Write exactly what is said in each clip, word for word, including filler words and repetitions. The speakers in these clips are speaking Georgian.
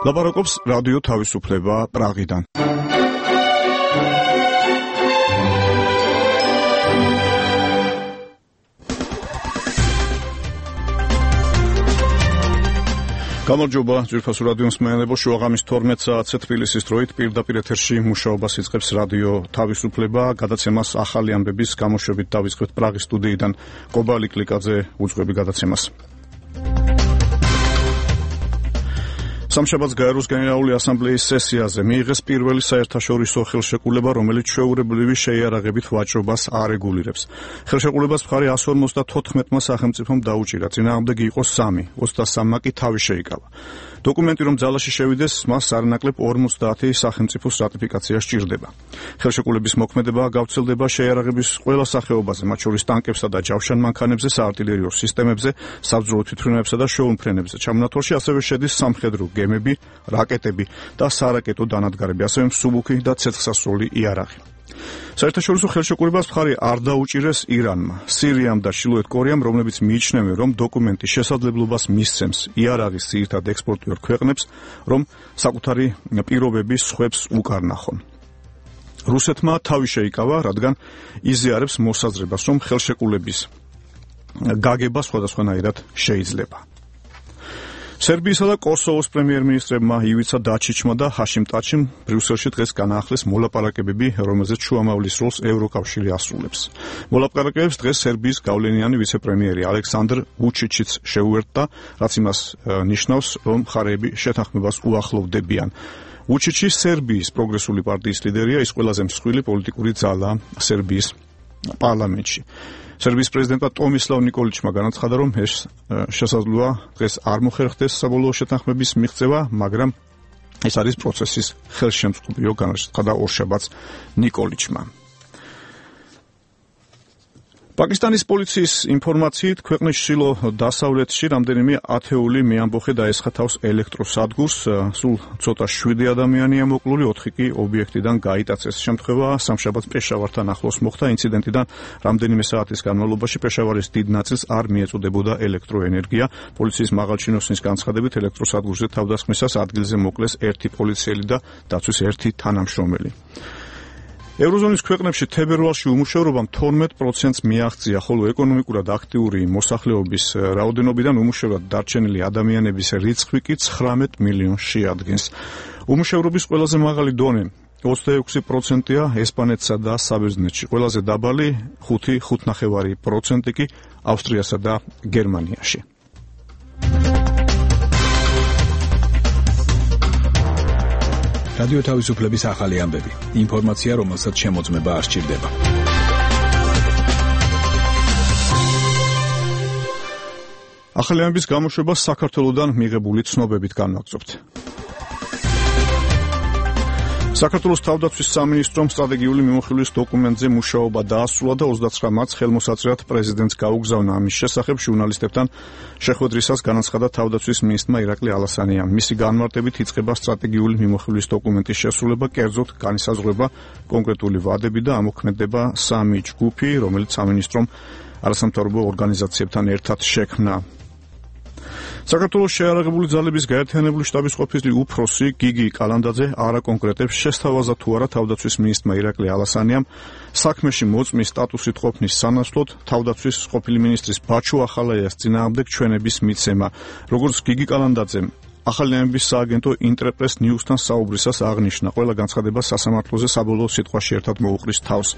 ლაპარაკობს რადიო თავისუფლება პრაღიდან. გამარჯობა, ძვირფასო რადიო მსმენელებო, შუაღამის თორმეტ საათზე თბილისის დროით პირდაპირ ეთერში მუშაობას იწყებს რადიო თავისუფლება. გადაცემას ახალი ამბების გამოშვებით დავიწყებთ პრაღის სტუდიიდან. კობალი კლიკაძე უძღვები გადაცემას. სამშაბათს გაეროს გენერალური ასამბლეის სესიაზე მიიღეს პირველი საერთაშორისო ხელშეკრულება, რომელიც ჩვეულებრივი შეიარაღებით ვაჭრობას არეგულირებს. ხელშეკრულებას მხარი εκατს ორმოცდათოთხმეტმა სახელმწიფომ დაუჭირა, წინააღმდეგი იყო სამი, ოცდასამმა კი თავი შეიკავა. დოკუმენტი რომ ძალაში შევიდეს, მას არანაკლებ ორმოცდაათი სახელმწიფოს რატიფიკაცია სჭირდება. ხელშეკრულების მოქმედება გავრცელდება შეიარაღების ყველა სახეობაზე, მათ შორის ტანკებსა და ჯავშან მანქანებზე, საარტილერიო სისტემებზე, საბრძოლო თვითმფრინავებსა და შეუმფრენებზე. ჩამონათვალში ასევე შედის სამხედრო გემები, რაკეტები და სარაკეტო დანადგარები, ასევე მსუბუქი და ცეცხლსასროლი იარაღი. საერთაშორისო ხელშეკრულებას მხარი არ დაუჭირეს ირანმა, სირიამ და ჩრდილოეთ კორეამ, რომლებიც მიიჩნევენ, რომ დოკუმენტი შესაძლებლობას მისცემს იარაღის ძირითად ექსპორტიორ ქვეყნებს, რომ საკუთარი პირობების სხვებს უკარნახონ. რუსეთმა თავი შეიკავა, რადგან იზიარებს მოსაზრებას, რომ ხელშეკრულების გაგება სხვადასხვანაირად შეიძლება. სერბიისა და კოსოვოს პრემიერ-მინისტრებმა ივიცა დაჩიჩმა და ჰაშიმ ტაჩიმ ბრიუსელში დღეს განაახლეს მოლაპარაკებები, რომელზეც შუამავლის როლს ევროკავშირი ასრულებს. მოლაპარაკებებს დღეს სერბიის გავლენიანი ვიცე-პრემიერი ალექსანდრ ვუჩიჩიც შეუერთდა, რაც იმას ნიშნავს, რომ მხარეები შეთანხმებას უახლოვდებიან. ვუჩიჩი სერბიის პროგრესული პარტიის ლიდერია, ის ყველაზე მსხვილი პოლიტიკური ძალა სერბიის პარლამენტში. სერბიის პრეზიდენტმა ტომისლავ ნიკოლიჩმა განაცხადა, რომ ეს შესაძლოა დღეს არ მოხერხდეს საბოლოო შეთანხმების მიღწევა, მაგრამ ეს არის პროცესის ხელშემწყობიო, განაცხადა ორშაბათს ნიკოლიჩმა. პაკისტანის პოლიციის ინფორმაციით, ქვეყნის ჩრდილო დასავლეთში რამდენიმე ათეული მეამბოხე დაესხა თავს ელექტროსადგურს, სულ ცოტა შვიდი ადამიანია მოკლული, ოთხი კი ობიექტიდან გაიტაცეს. შემთხვევა სამშაბათს პეშავართან ახლოს მოხდა. ინციდენტიდან რამდენიმე საათის განმავლობაში პეშავარის დიდ ნაწილს არ მიეწოდებოდა ელექტროენერგია. პოლიციის მაღალჩინოსნის განცხადებით, ელექტროსადგურზე თავდასხმისას ადგილზე მოკლეს ერთი პოლიციელი და დაცვის ერთი თანამშრომელი. ევროზონის ქვეყნებში თებერვალში უმუშევრობამ თორმეტ პროცენტს მიაღწია, ხოლო ეკონომიკურად აქტიური მოსახლეობის რაოდენობიდან უმუშევრად დარჩენილი ადამიანების რიცხვი კი ცხრამეტ მილიონს შეადგენს. უმუშევრობის ყველაზე მაღალი დონე ოცდაექვსი პროცენტია ესპანეთსა და საბერძნეთში, ყველაზე დაბალი ხუთი ხუთნახევარი პროცენტი კი ავსტრიასა და გერმანიაში. რადიო თავისუფლების ახალი ამბები. ინფორმაცია, რომელსაც შემოწმება არ სჭირდება. ახალი ამბების გამოშვება საქართველოსდან მიღებული ცნობებით განვაგრძობთ. საქართველოს თავდაცვის სამინისტრომ სტრატეგიული მიმოხილვის დოკუმენტზე მუშაობა დაასრულა და ოცდაცხრა მარტს ხელმოსაწვევად პრეზიდენტს გაუგზავნა. ამის შესახებ ჟურნალისტებთან შეხვედრისას განაცხადა თავდაცვის მინისტრმა ირაკლი ალასანიამ. მისი განმარტებით იწყება სტრატეგიული მიმოხილვის დოკუმენტის შესრულება, კერძოდ განისაზღვრება კონკრეტული ვადები და ამოქმედება სამი ჯგუფი, რომელიც სამინისტრომ არასამთავრობო ორგანიზაციებთან ერთად შექმნა. საქართველოს შეიარაღებული ძალების გაერთიანებული შტაბის ყოფილი უფროსი გიგი კალანდაძე არ აკონკრეტებს, შესთავაზა თუ არა თავდაცვის მინისტრმა ირაკლი ალასანიამ საქმეში მოწმის სტატუსით ყოფნის სანაცვლოდ თავდაცვის ყოფილი მინისტრის ბაჩო ახალაიას წინააღმდეგ ჩვენების მიცემა. როგორც გიგი კალანდაძემ ახალი ამბების სააგენტო ინტერპრეს ნიუსთან საუბრისას აღნიშნა, ყველა განცხადება სასამართლოზე საბოლოო სიტყვაში ერთად მოუყრის თავს.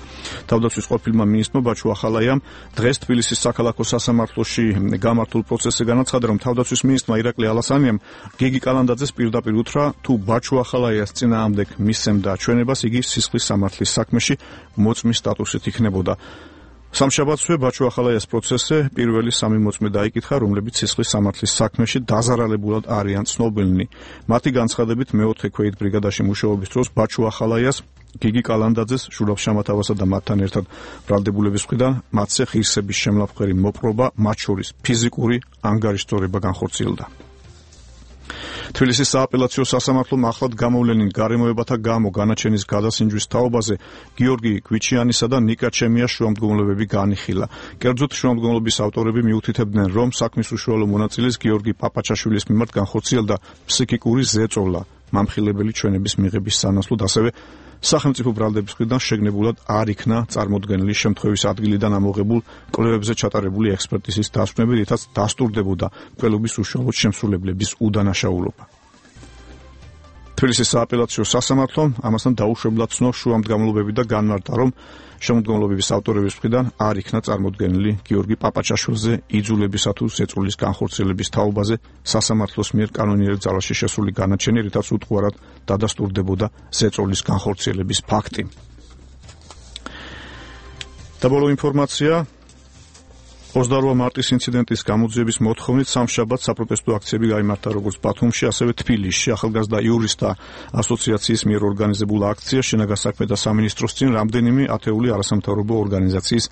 თავდაცვის ყოფილმა მინისტრმა ბაჩო ახალაიამ დღეს თბილისის საქალაქო სასამართლოში გამართულ პროცესზე განაცხადა, რომ თავდაცვის მინისტრმა ირაკლი ალასანიამ გიგი კალანდაძეს პირდაპირ უთხრა, თუ ბაჩო ახალაიას წინააღმდეგ მისცემდა ჩვენებას, იგი სისხლის სამართლის საქმეში მოწმის სტატუსით იქნებოდა. სამშაბათსვე ბაჩო ახალაიას პროცესზე პირველი სამი მოწმე დაიკითხა, რომლებიც სისხლის სამართლის საქმეში დაზარალებულად არიან ცნობილნი. მათი განცხადებით მეოთხე ქვეით ბრიგადაში მუშაობის დროს ბაჩო ახალაიას, გიგი კალანდაძეს, ჟურაბ შამათავასა და მათთან ერთად ბრალდებულების მხრიდან მათზე ღირსების შემლაფხვერი მოპყრობა, მათ შორის ფიზიკური ანგარიშწორება განხორციელდა. თბილისის სააპელაციო სასამართლომ ახლად გამოვლენილ გარემოებათა გამო განაჩენის გადასინჯვის თაობაზე გიორგი გვიჩიანისა და ნიკა ჩემიას შუამდგომლობები განიხილა. კერძოდ შუამდგომლობის ავტორები მიუთითებდნენ, რომ საქმის უშუალო მონაწილეს გიორგი პაპაჩაშვილის მიმართ განხორციელდა ფსიქიკური ზეწოლა მამხილებელი ჩვენების მიღების სანაცვლოდ, ასევე სახელმწიფო ბრალდების მხრიდან შეგნებულად არ იქნა წარმოდგენილი შემთხვევის ადგილიდან ამოღებულ კვლევებზე ჩატარებული ექსპერტიზის დასვენები, რითაც დასტურდებოდა მკვლელობის უშუალოდ შემსრულებლების უდანაშაულობა. თბილისის სააპელაციო სასამართლომ ამასთან დაუშვებლად ცნო შუამდგომლობები და განმარტა, რომ შემოდგომლობების ავტორების მხრიდან არ იქნა წარმოდგენილი გიორგი პაპაჩაშვილზე იძულებისა თუ ზეწოლის განხორციელების თაობაზე სასამართლოს მიერ კანონიერ ძალაში შესული განაჩენი, რითაც უტყუარად დადასტურდებოდა ზეწოლის განხორციელების ფაქტი. და ბოლო ინფორმაცია. ოცდაორმა მარტის ინციდენტის გამოძიების მოთხოვნით სამშაბათს საპროტესტო აქციები გაიმართა როგორც ბათუმში, ასევე თბილისში. ახალგაზრდა იურისტთა ასოციაციის მიერ ორგანიზებულ აქციაში შინაგან საქმეთა სამინისტროს წინ რამდენიმე ათეული არასამთავრობო ორგანიზაციის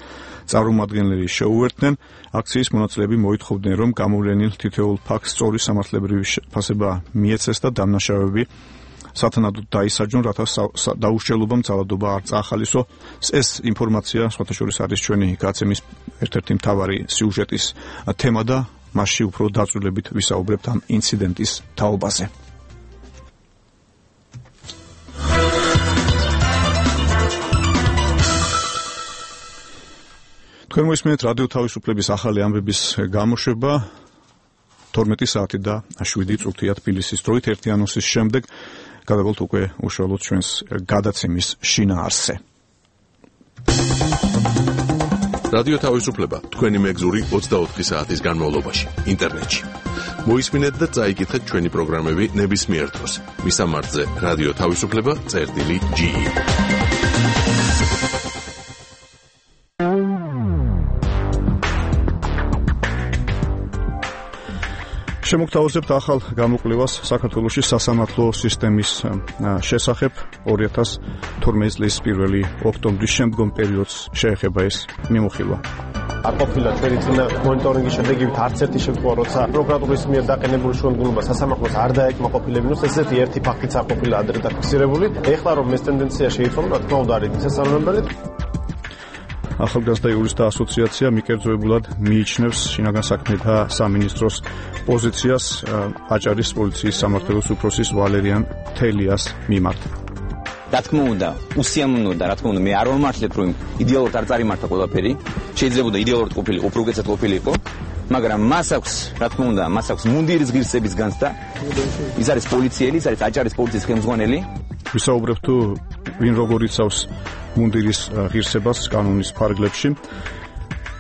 წარმომადგენლები შეუერთდნენ. აქციის მონაწილეები მოითხოვდნენ, რომ გამოვლენილ თითოეულ ფაქტს სწორი სამართლებრივი შეფასება მიეცეს და დამნაშავეები სათანადოდ დაისაჯონ, რათა დაუშლილობამ ძალადობა არ წაახალისო. ეს ინფორმაცია სხვათა შორის არის ჩვენი გაცემის ერთ-ერთი მთავარი სიუჟეტის თემა და მასში უფრო დაწვრილებით ვისაუბრებთ ამ ინციდენტის თაობაზე. თქვენ მოისმენთ რადიო თავისუფლების ახალი ამბების გამოშვება თორმეტი საათი და შვიდი წუთია თბილისის დროით. ერთი ანონსის შემდეგ გადავალთ უკვე უშუალოდ ჩვენს გადაცემის შინაარსზე. რადიო თავისუფლება თქვენი მეგზური ოცდაოთხი საათის განმავლობაში ინტერნეტში. მოისმინეთ და წაიკითხეთ ჩვენი პროგრამები ნებისმიერ დროს. მისამართზე რადიო თავისუფლება წერტილი ჯი. შემოგთავაზებთ ახალ გამოკვლევას საქართველოში სასამართლო სისტემის შესახებ. ორი ათას თორმეტი წლის პირველი ოქტომბრის შემდგომ პერიოდს შეეხება ეს მიმოხილვა. არ ყოფილა ჩვენი წინა მონიტორინგის შედეგებით არც ერთი შემთხვევა, როცა პროკურატურის მიერ დაყენებული შუამდგომლობა სასამართლოს არ დაეკმაყოფილებინოს, ესეთი ერთი ფაქტიც არ ყოფილა ადრე დაფიქსირებული. ეხლა რომ ეს ტენდენცია შეიცვალა, რა თქმა უნდა არის მისასალმებელი. ახალგაზრდა იურისტთა ასოციაცია მიკერძოებულად მიიჩნევს შინაგან საქმეთა სამინისტროს პოზიციას აჭარის პოლიციის სამმართველოს უფროსის ვალერიან თელიას მიმართ. რა თქმა უნდა, უსიამოვნოა, რა თქმა უნდა, მე არ ვამართლებ, რომ იდეალურად არ წარიმართა ყველაფერი. შეიძლება იდეალურად ყოფილი, უფრო უკეთესად ყოფილიყო, მაგრამ მას აქვს, რა თქმა უნდა, მას აქვს მუნდირის ღირსების განცდა. ის არის პოლიციელი, ის არის აჭარის პოლიციის ხელმძღვანელი. ვისაუბრებთ თუ ვინ როგორ იცავს მუნდირის ღირსებას კანონის ფარგლებში.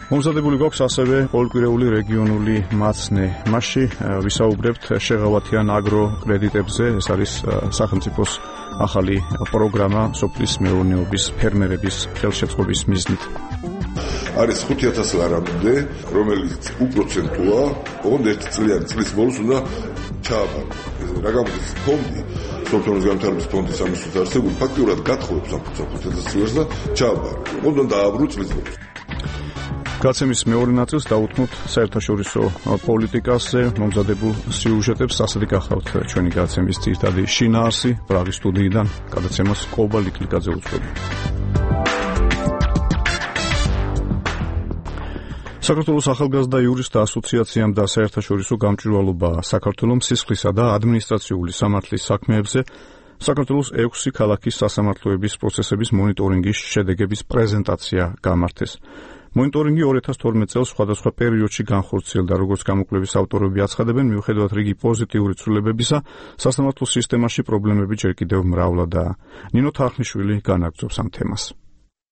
მომზადებული გვაქვს ასევე ყოველკვირეული რეგიონული მაცნე. მასში ვისაუბრებთ შეღავათიან აგროკრედიტებზე. ეს არის სახელმწიფოს ახალი პროგრამა სოფლის მეურნეობის ფერმერების ხელშეწყობის მიზნით. არის ხუთი ათასი ლარამდე, რომელიც უპროცენტოა, ოღონდ ერთი წლიანი წლის ბოლოს უნდა ჩააბარო. რა გამოდის ფონდი, სოფლის განვითარების ფონდის ამისთვის არსებული ფაქტიურად გათხოვებს ამ ხუთი ათასი ლარს და ჩააბარო. ოღონდ უნდა დააბრო წლის ბოლოს. გაცემის მეორე ნაწილს დავუთმობთ საერთაშორისო პოლიტიკაზე მომზადებულ სიუჟეტებს. ასეთი გახავთ ჩვენი გაცემის ძირითადი შინაარსი. პრაღის სტუდიიდან გადაცემას კობა ლიკლიკაძე უძღვება. საქართველოს ახალგაზრდა იურისტთა ასოციაციამ და საერთაშორისო გამჭვირვალობა საქართველოს სისხლისა და ადმინისტრაციული სამართლის საქმეებზე საქართველოს ექვსი ქალაქის სასამართლოების პროცესების მონიტორინგის შედეგების პრეზენტაცია გამართეს. მონიტორინგი ორი ათას თორმეტ წელს სხვადასხვა პერიოდში განხორციელდა, როგორც გამოკვლევის ავტორები აცხადებენ, მიუხედავად რიგი პოზიტიური ცვლილებებისა, სასამართლო სისტემაში პრობლემები ჯერ კიდევ მრავლადაა. ნინო თარხნიშვილი განაგრძობს ამ თემას.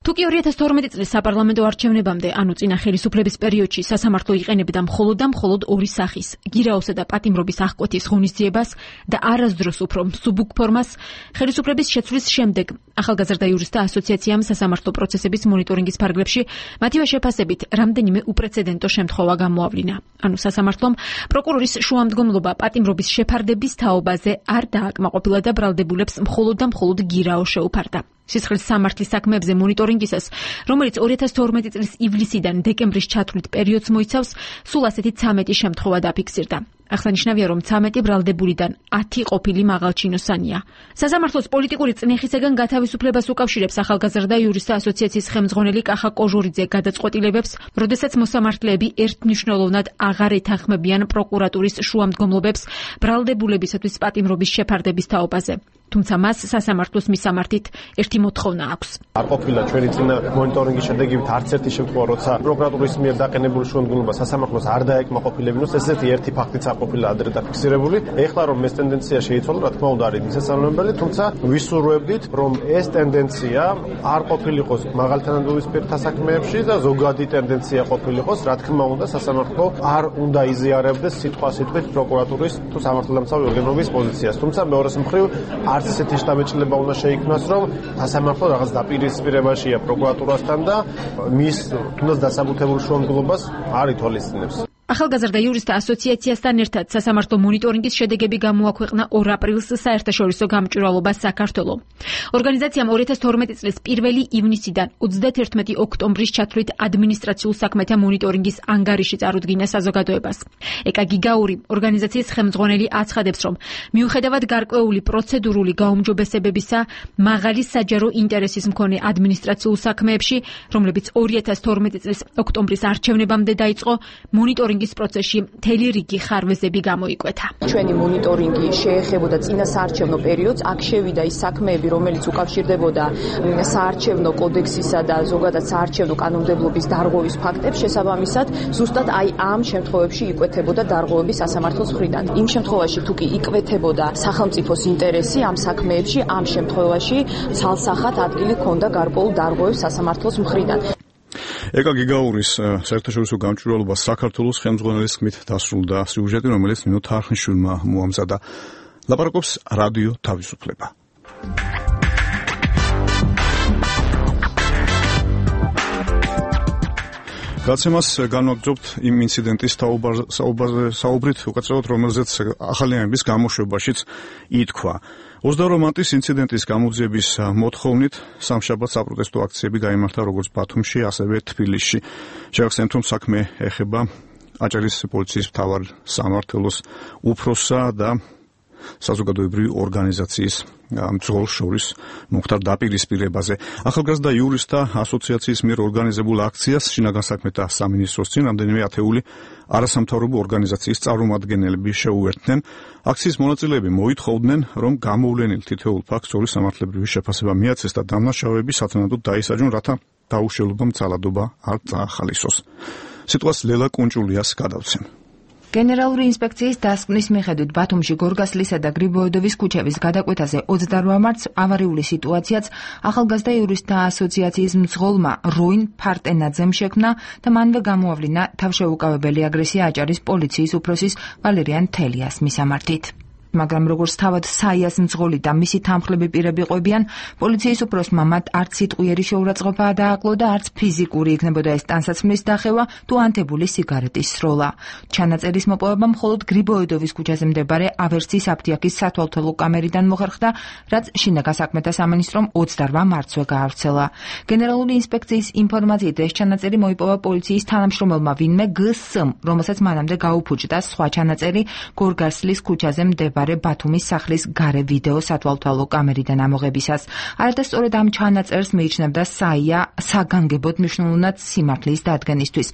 თუკი ორი ათას თორმეტი წლის საპარლამენტო არჩევნებამდე, ანუ წინა ხელისუფლების პერიოდში სასამართლო იყენებდა მხოლოდ და მხოლოდ ორი სახის, გირაოსა და პატიმრობის აღკვეთის ღონისძიებას და არასდროს უფრო მსუბუქ ფორმას, ხელისუფლების შეცვლის შემდეგ ახალგაზრდა იურისტთა ასოციაციამ სასამართლო პროცესების მონიტორინგის ფარგლებში მათივე შეფასებით რამდენიმე უპრეცედენტო შემთხვევა გამოავლინა. ანუ სასამართლომ პროკურორის შუამდგომლობა პატიმრობის შეფარდების თაობაზე არ დააკმაყოფილა და ბრალდებულებს მხოლოდ და მხოლოდ გირაო შეუფარდა. სისხლის სამართლის საქმეებზე მონიტორინგისას, რომელიც ორი ათას თორმეტი წლის ივლისიდან დეკემბრის ჩათვლით პერიოდს მოიცავს, სულ ასეთი ცამეტი შემთხვევა დაფიქსირდა. აღსანიშნავია, რომ ცამეტი ბრალდებულიდან ათი ყოფილი მაღალჩინოსანია. სასამართლოს პოლიტიკური წნეხისაგან გათავისუფლებას უკავშირებს ახალგაზრდა იურისტთა ასოციაციის ხელმძღვანელი კახა კოჟორიძე გადაწყვეტილებებს, როდესაც მოსამართლეები ერთმნიშვნელოვნად აღარ ეთანხმებიან პროკურატურის შუამდგომლობებს ბრალდებულებისათვის პატიმრობის შეფარდების თაობაზე. თუმცა მას სასამართლოს მისამართით ერთი მოთხოვნა აქვს. არ ყოფილა ჩვენი წინა მონიტორინგის შედეგებით არც ერთი შემთხვევა, როცა პროკურატურის მიერ დაყენებული შუამდგომლობა სასამართლოს არ დაეკმაყოფილებინოს, ესეთი ერთი ფაქტიც არ ყოფილა ადრე დაფიქსირებული. ეხლა რომ ეს ტენდენცია შეიცვალა, რა თქმა უნდა არის მისასალმებელი, თუმცა ვისურვებდით, რომ ეს ტენდენცია არ ყოფილიყოს მაღალთანადობისპირთა საქმეებში და ზოგადი ტენდენცია ყოფილიყოს, რა თქმა უნდა სასამართლო არ უნდა იზიარებდეს სიტყვა-სიტყვით პროკურატურის თუ სამართალდამცავი ორგანოების პოზიციას. თუმცა მეორეს მხრივ არც ესეთი შტაბეჭდილება უნდა შეიქმნას, რომ სასამართლო რაღაც დაპირისპირებაშია პროკურატურასთან და მის თუნდაც დასაბუთებულ შუამდგომლობას არ ითვალისწინებს. ახალგაზრდა იურისტთა ასოციაციასთან ერთად სასამართლო მონიტორინგის შედეგები გამოაქვეყნა ორ აპრილს საერთაშორისო გამჭვირვალობას საქართველო. ორგანიზაციამ ორი ათას თორმეტი წლის პირველი ივნისიდან ოცდაათერთმეტი ოქტომბრის ჩათვლით ადმინისტრაციულ საქმეთა მონიტორინგის ანგარიში წარუდგინა საზოგადოებას. ეკა გიგაური, ორგანიზაციის ხელმძღვანელი, აცხადებს, რომ მიუხედავად გარკვეული პროცედურული გაუმჯობესებებისა, მაღალი საჯარო ინტერესის მქონე ადმინისტრაციულ საქმეებში, რომლებიც ორი ათას თორმეტი წლის ოქტომბრის არჩევნებამდე დაიწყო, მონიტორინგი პროცესში მთელი რიგი ხარვეზები გამოიკვეთა. ჩვენი მონიტორინგი შეეხებოდა წინა საარჩევნო პერიოდს, აქ შევიდა ის საქმეები, რომელიც უკავშირდებოდა საარჩევნო კოდექსისა და ზოგადად საარჩევნო კანონმდებლობის დარღვევის ფაქტებს, შესაბამისად, ზუსტად აი ამ შემთხვევებში იკვეთებოდა დარღვევები სასამართლოს მხრიდან. იმ შემთხვევაში თუ კი იკვეთებოდა სახელმწიფოს ინტერესი ამ საქმეებში, ამ შემთხვევაში ცალსახად ადგილი ჰქონდა გარკვეულ დარღვევებს სასამართლოს მხრიდან. ეკა გიგაურის საერთაშორისო გამჭვირვალობა საქართველოს ხელმძღვანელის ხმით დასრულდა სიუჟეტი, რომელიც ნინო თარხნიშვილმა მოამზადა. ლაპარაკობს რადიო თავისუფლება. გაცემას განვაგრძობთ იმ ინციდენტის საუბრით, უკაცრავად რომელზეც ახალიანების გამოშვებაშიც ითქვა. ოცდაორი მარტის ინციდენტის გამოძიების მოთხოვნით სამშაბათ საპროტესტო აქციები გაიმართა როგორც ბათუმში, ასევე თბილისში. შევახსენებთ, რომ საქმე ეხება აჭარის პოლიციის მთავარ სამმართველოს უფროსსა და საზოგადოებრივი ორგანიზაციის მძღოლს შორის მომხდარ დაპირისპირებაზე. ახალგაზრდა იურისტთა ასოციაციის მიერ ორგანიზებულ აქციას შინაგან საქმეთა სამინისტროს წინ რამდენიმე ათეული არასამთავრობო ორგანიზაციის წარმომადგენლები შეუერთდნენ. აქციის მონაწილეები მოითხოვდნენ, რომ გამოვლენილ თითოეულ ფაქტს ორი სამართლებრივი შეფასება მიაცეს და დამნაშავეები სათანადოდ დაისაჯონ, რათა დაუშველობა მცალადობა არ წაახალისოს. სიტყვას ლელა კუნჭულიას გადავცემ. გენერალური ინსპექციის დასკვნის მიხედვით ბათუმში გორგასლისა და გრიბოედოვის ქუჩების გადაკვეთაზე ოცდაორი მარტს ავარიული სიტუაციაც ახალგაზრდა იურისტთა ასოციაციის მძღოლმა როინ ფარტენაძემ შექმნა და მანვე გამოავლინა თავშეუკავებელი აგრესია აჭარის პოლიციის უფროსის ვალერიან თელიას მისამართით. მაგრამ როგორც თავად საიას მძღოლი და მისი თანხლები პირები ყვებიან, პოლიციის უფროსმა მათ არც სიტყვიერი შეურაცხყოფა დააკლო და არც ფიზიკური იქნებოდა ეს ტანსაცმლის დახევა თუ ანთებული სიგარეტის სროლა. ჩანაწერის მოპოვება მხოლოდ გრიბოედოვის ქუჩაზე მდებარე ავერსის აფთიაქის სათვალთვალო კამერიდან მოხერხდა, რაც შინაგან საქმეთა სამინისტრომ ოცდაორი მარტსვე გაავრცელა. გენერალური ინსპექციის ინფორმაციით ეს ჩანაწერი მოიპოვა პოლიციის თანამშრომელმა ვინმე გს-მ, რომელსაც მანამდე გაუფუჭდა სხვა ჩანაწერი გორგასლის ქუჩაზე მდებარე ბათუმის სახლის გარე ვიდეო სათვალთვალო კამერიდან ამოღებისას. არადასწორად ამ ჩანაწერს მიიჩნევდა საია საგანგებოდ მნიშვნელოვნად სიმართლის დადგენისთვის.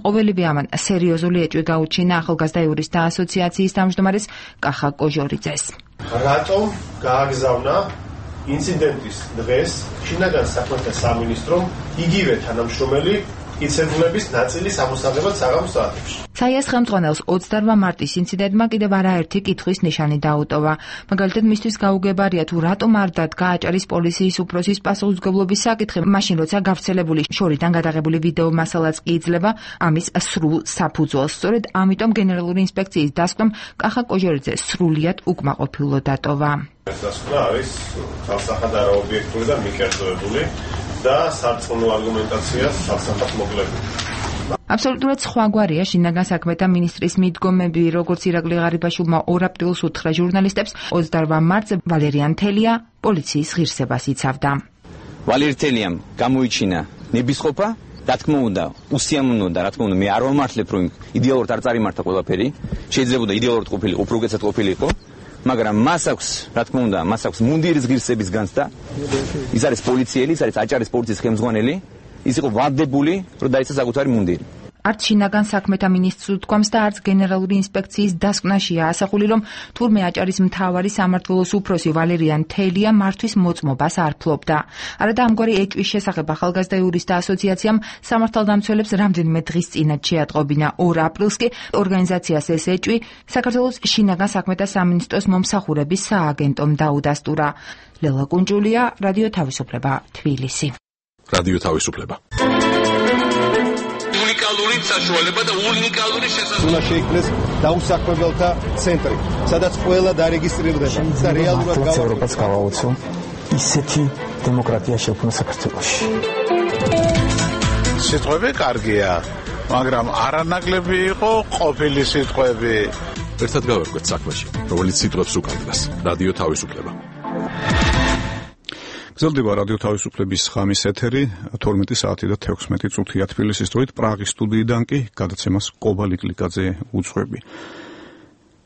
ყოველივე ამან სერიოზული ეჭვი გაუჩინა ახალგაზრდა იურისტთა ასოციაციის თავმჯდომარეს კახა კოჟორიძეს. რატომ გააგზავნა ინციდენტის დღეს შინაგან საქმეთა სამინისტრომ იგივე თანამშრომელი იცერულების ნაწილის ამოსაღებად საღამოს საათებში? საიას ხელმძღვანელს ოცდაორი მარტის ინციდენტმა კიდევ არაერთი კითხვის ნიშანი დაუტოვა. მაგალითად, მისთვის გაუგებარია თუ რატომ არ დადგა აჭარის პოლიციის უფროსის პასუხისმგებლობის საკითხი, მაშინ როცა გავრცელებული შორიდან გადაღებული ვიდეო მასალაც კი იძლევა ამის სრულ საფუძველს. სწორედ ამიტომ გენერალური ინსპექციის დასკვნამ კახა კოჟორიძე სრულიად უკმაყოფილო დატოვა. ეს დასკვნა არის თალსახად არაობიექტური და მიკერძოებული და სარწმუნო არგუმენტაციას სასამართლოს მოგლებული. აბსოლუტურად სხვაგვარია შინაგან საქმეთა მინისტრის მიდგომები, როგორც ირაკლი ღარიბაშვილმა ორ აპრილს უთხრა ჟურნალისტებს, ოცდაორი მარტს ვალერიან თელია პოლიციის ღირსებას იცავდა. ვალერი თელიამ გამოიჩინა ნებისყოფა რა თქმა უნდა, უსიამოვნოა და რა თქმა უნდა, მე არ ვამართლებ, რომ იდეალურად არ წარიმართა ყველაფერი. შეიძლება იდეალურად ყოფილიყო, უფრო უკეთესად ყოფილიყო, მაგრამ მას აქვს, რა თქმა უნდა, მას აქვს მუნდირის ღირსების განცდა. ის არის პოლიციელი, ის არის აჭარის პოლიციის ხელმძღვანელი, ის იყო ვადებული, რომ დაიცა საკუთარი მუნდირი. არც შინაგან საქმეთა მინისტრს უთქვამს და არც გენერალური ინსპექციის დასკვნაშია ასახული, რომ თურმე აჭარის მთავარი სამმართველოს უფროსი ვალერიან თელია მართვის მოწმობას არ ფლობდა. არადა ამგვარი ეჭვის შესახებ ახალგაზრდა იურისტთა ასოციაციამ სამართალდამცველებს რამდენიმე დღის წინათ შეატყობინა. ორ აპრილს კი ორგანიზაციას ეს ეჭვი საქართველოს შინაგან საქმეთა სამინისტროს მომსახურების სააგენტომ დაუდასტურა. ლელა კუნჭულია, რადიო თავისუფლება, თბილისი. რადიო თავისუფლება. უნიკალური საშუალება და უნიკალური შესაძლებლობა. უნდა შეიქმნეს დაუსაქმებელთა ცენტრი, სადაც ყველა დარეგისტრირდება და რეალურად ევროპას გავაოცო ისეთი დემოკრატია შექმნა საქართველოში. სიტყვები კარგია, მაგრამ არანაკლები იყო ყოფილი სიტყვები. ერთად გავერკვეთ საქმეში, რომელიც სიტყვებს უკანდას. რადიო თავისუფლება. გრძელდება რადიო თავისუფლების ხამის ეთერი, თორმეტი საათი და თექვსმეტი წუთია თბილისის დროით, პრაღის სტუდიიდან კი გადაცემას კობალი კლიკაძე უძღვები.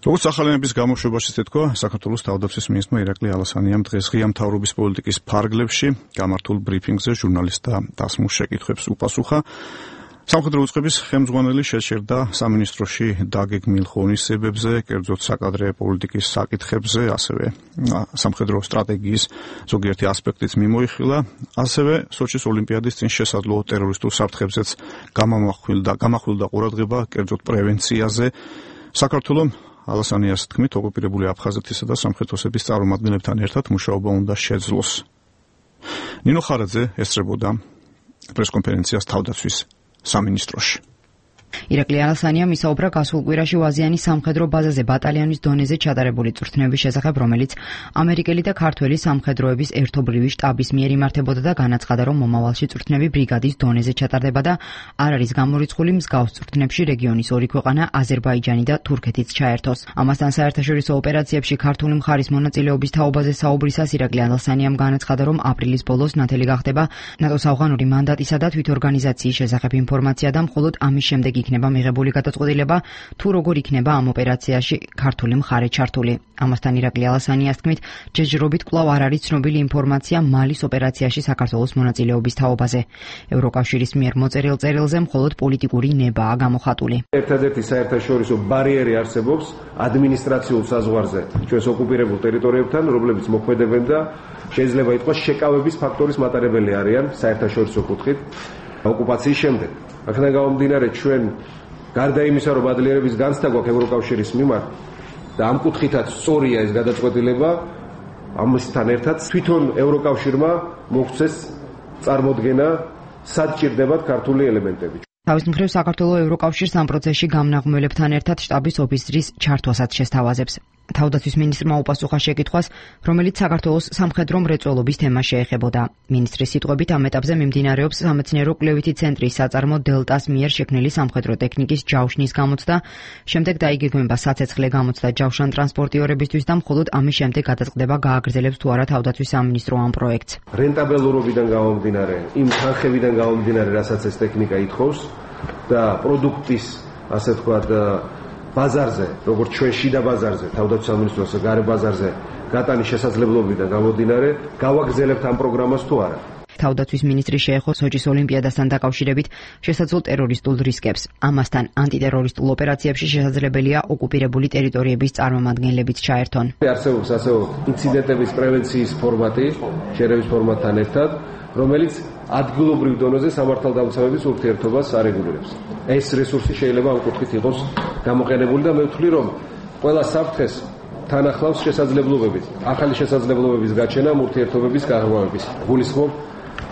როგორც ახალენების გამოშვებაში თეთქვა, საქართველოს თავდაცვის მინისტრმა ირაკლი ალასანიამ დღეს ღია მთავრობის პოლიტიკის ფარგლებში გამართულ ბრიფინგზე ჟურნალისტთა დასმულ შეკითხვებს უპასუხა. სამხედრო უწყების ხელმძღვანელი შეჩერდა სამინისტროში დაგეგმილ ღონისძიებებზე, კერძოდ საკადრე პოლიტიკის საკითხებზე, ასევე სამხედრო სტრატეგიის ზოგიერთი ასპექტიც მიმოიხილა, ასევე სოჩის ოლიმპიადის წინ შესაძლო ტერორისტულ საფრთხებზეც გამამახვილდა გამახვილდა ყურადღება, კერძოდ პრევენციაზე. საქართველოს ალასანიას თქმით, ოკუპირებული აფხაზეთისა და სამხედროსების წარმომადგენლებთან ერთად მუშაობა უნდა შეძლოს. ნინო ხარაძე ესწრებოდა პრესკონფერენციას თავდაცვის სამინისტროში. ირაკლი ალასანიამ ისაუბრა გასულ კვირაში ვაზიანის სამხედრო ბაზაზე ბატალიონის დონეზე ჩატარებული წვრთნების შესახებ, რომელიც ამერიკელი და ქართველი სამხედროების ერთობლივი შტაბის მიერ იმართებოდა და განაცხადა, რომ მომავალში წვრთნები ბრიგადის დონეზე ჩატარდება და არ არის გამორიცხული მსგავს წვრთნებში რეგიონის ორი ქვეყანა, აზერბაიჯანი და თურქეთიც ჩაერთოს. ამასთან საერთაშორისო ოპერაციებში ქართული მხარის მონაწილეობის თაობაზე საუბრისას ირაკლი ალასანიამ განაცხადა, რომ აპრილის ბოლოს ნათელი გახდება ნატოს ავღანური მანდატისა და თვითორგანიზაციის შესახებ ინფორმაცია და მხოლოდ ამის შემდეგ იქნება მიღებული გადაწყვეტილება, თუ როგორ იქნება ამ ოპერაციაში ქართული მხარე ჩართული. ამასთან ირაკლი ალასანიას თქმით, ჯერჯერობით კვლავ არ არის ცნობილი ინფორმაცია მალის ოპერაციაში საქართველოს მონაწილეობის თაობაზე. ევროკავშირის მიერ მოწერილ წერილზე მხოლოდ პოლიტიკური ნებაა გამოხატული. ერთადერთი საერთაშორისო ბარიერი არსებობს ადმინისტრაციულ საზღვარზე ჩვენს ოკუპირებულ ტერიტორიებთან, რომლებიც მოქმედებენ და შეიძლება ითქვას შეკავების ფაქტორის მატარებელი არიან საერთაშორისო კუთხით ოკუპაციის შემდეგ. აქედან გამომდინარე, ჩვენ გარდა იმისა, რომ ბადლიერების განცდა გვაქვს ევროკავშირის მიმართ და ამ კუთხითაც სწორია ეს გადაწყვეტილება, ამასთან ერთად თვითონ ევროკავშირმა მოგვცეს წარმოდგენა, სად ჭირდებათ ქართული ელემენტები. თავის მხრივ საქართველოს ევროკავშირს ამ პროცესში გამნაღმველებთან ერთად შტაბის ოფისრის ჩართვასაც შესთავაზებს. თავდაცვის მინისტრმა უპასუხა შეკითხვას, რომელიც საქართველოს სამხედრო მრეწველობის თემას შეეხებოდა. მინისტრის სიტყვებით ამ ეტაპზე მიმდინარეობს სამეცნიერო-კვლევითი ცენტრის საწარმო დელტას მიერ შექმნილი სამხედრო ტექნიკის ჯავშნის გამოცდა, შემდეგ დაიგეგმება საცეცხლე გამოცდა ჯავშან ტრანსპორტიორებისთვის და მხოლოდ ამის შემდეგ გადაწყდება გააგრძელებს თუ არა თავდაცვის სამინისტრო ამ პროექტს. რენტაბელურობიდან გამომდინარე, იმ თანხებიდან გამომდინარე, რასაც ეს ტექნიკა ითხოვს და პროდუქტის, ასე ვთქვათ, ბაზარზე, როგორც ჩვენ შიდა ბაზარზე, თავდაცვის სამინისტროს გარე ბაზარზე გატანის შესაძლებლობიდან გამომდინარე, გავაგრძელებთ ამ პროგრამას თუ არა. თავდაცვის მინისტრი შეეხო სოჩის ოლიმპიადასთან დაკავშირებით შესაძლო ტერორისტულ რისკებს. ამასთან ანტიტერორისტულ ოპერაციებში შესაძლებელია ოკუპირებული ტერიტორიების წარმომადგენლებიც ჩაერთონ. არსებობს ასევე ინციდენტების პრევენციის ფორმატი, შერევის ფორმატთან ერთად, რომელიც ადგილობრივ დონეზე სამართალდამცავების ურთიერთობას არეგულირებს. ეს რესურსი შეიძლება ამ კუთხით იყოს გამოყენებული და მე ვთვლი, რომ ყველა საფრთხეს თან ახლავს შესაძლებლობებით, ახალი შესაძლებლობების გაჩენა ურთიერთობების გაღრმავების. გულისხმობ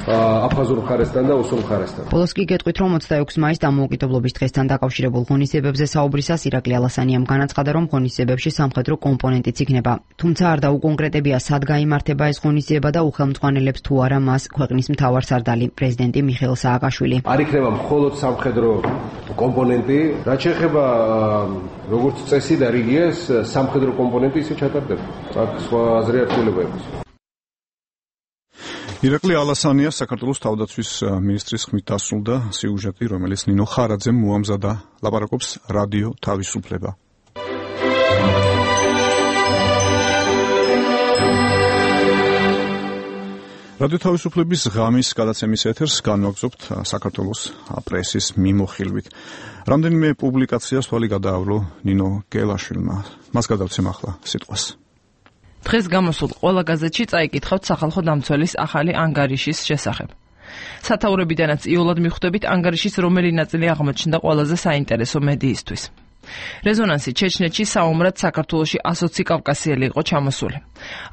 აფხაზურ მხარესთან და ოსურ მხარესთან. ბოლოს კი გეტყვით, რომ ოცდაექვსი მაისს დამოუკიდებლობის დღესთან დაკავშირებულ ღონისძიებებზე საუბრისას ირაკლი ალასანიამ განაცხადა, რომ ღონისძიებებში სამხედრო კომპონენტიც იქნება. თუმცა არ დაუკონკრეტებია, სად გაიმართება ეს ღონისძიება და უხელმძღვანელებს თუ არა მას ქვეყნის მთავარსარდალი პრეზიდენტი მიხეილ სააკაშვილი. არ იქნება მხოლოდ სამხედრო კომპონენტი, რაც შეეხება როგორც წესი და რიგია, სამხედრო კომპონენტი ისე ჩატარდება. აქ სხვა აზრი არ შეიძლება იყოს. ირაკლი ალასანია საქართველოს თავდაცვის მინისტრის ხმით დასრულდა სიუჟეტი, რომელიც ნინო ხარაძემ მოამზადა. ლაპარაკობს რადიო თავისუფლება. რადიო თავისუფლების ღამის გადაცემის ეთერს განვაგრძობთ საქართველოს პრესის მიმოხილვით. რამდენიმე პუბლიკაციას თვალი გადაავლო ნინო გელაშვილმა. მას გადავცემ ახლა სიტყვას. დღეს გამოსულ ყველა გაზეთში წაიკითხავთ სახალხო დამცველის ახალი ანგარიშის შესახებ. სათაურებიდანაც იოლად მიხვდებით ანგარიშის რომელი ნაწილი აღმოჩნდა ყველაზე საინტერესო მედიისთვის. რეზონანსი ჩეჩნეთში საომრად საქართველოში ასოცი კავკასიელი იყო ჩამოსული.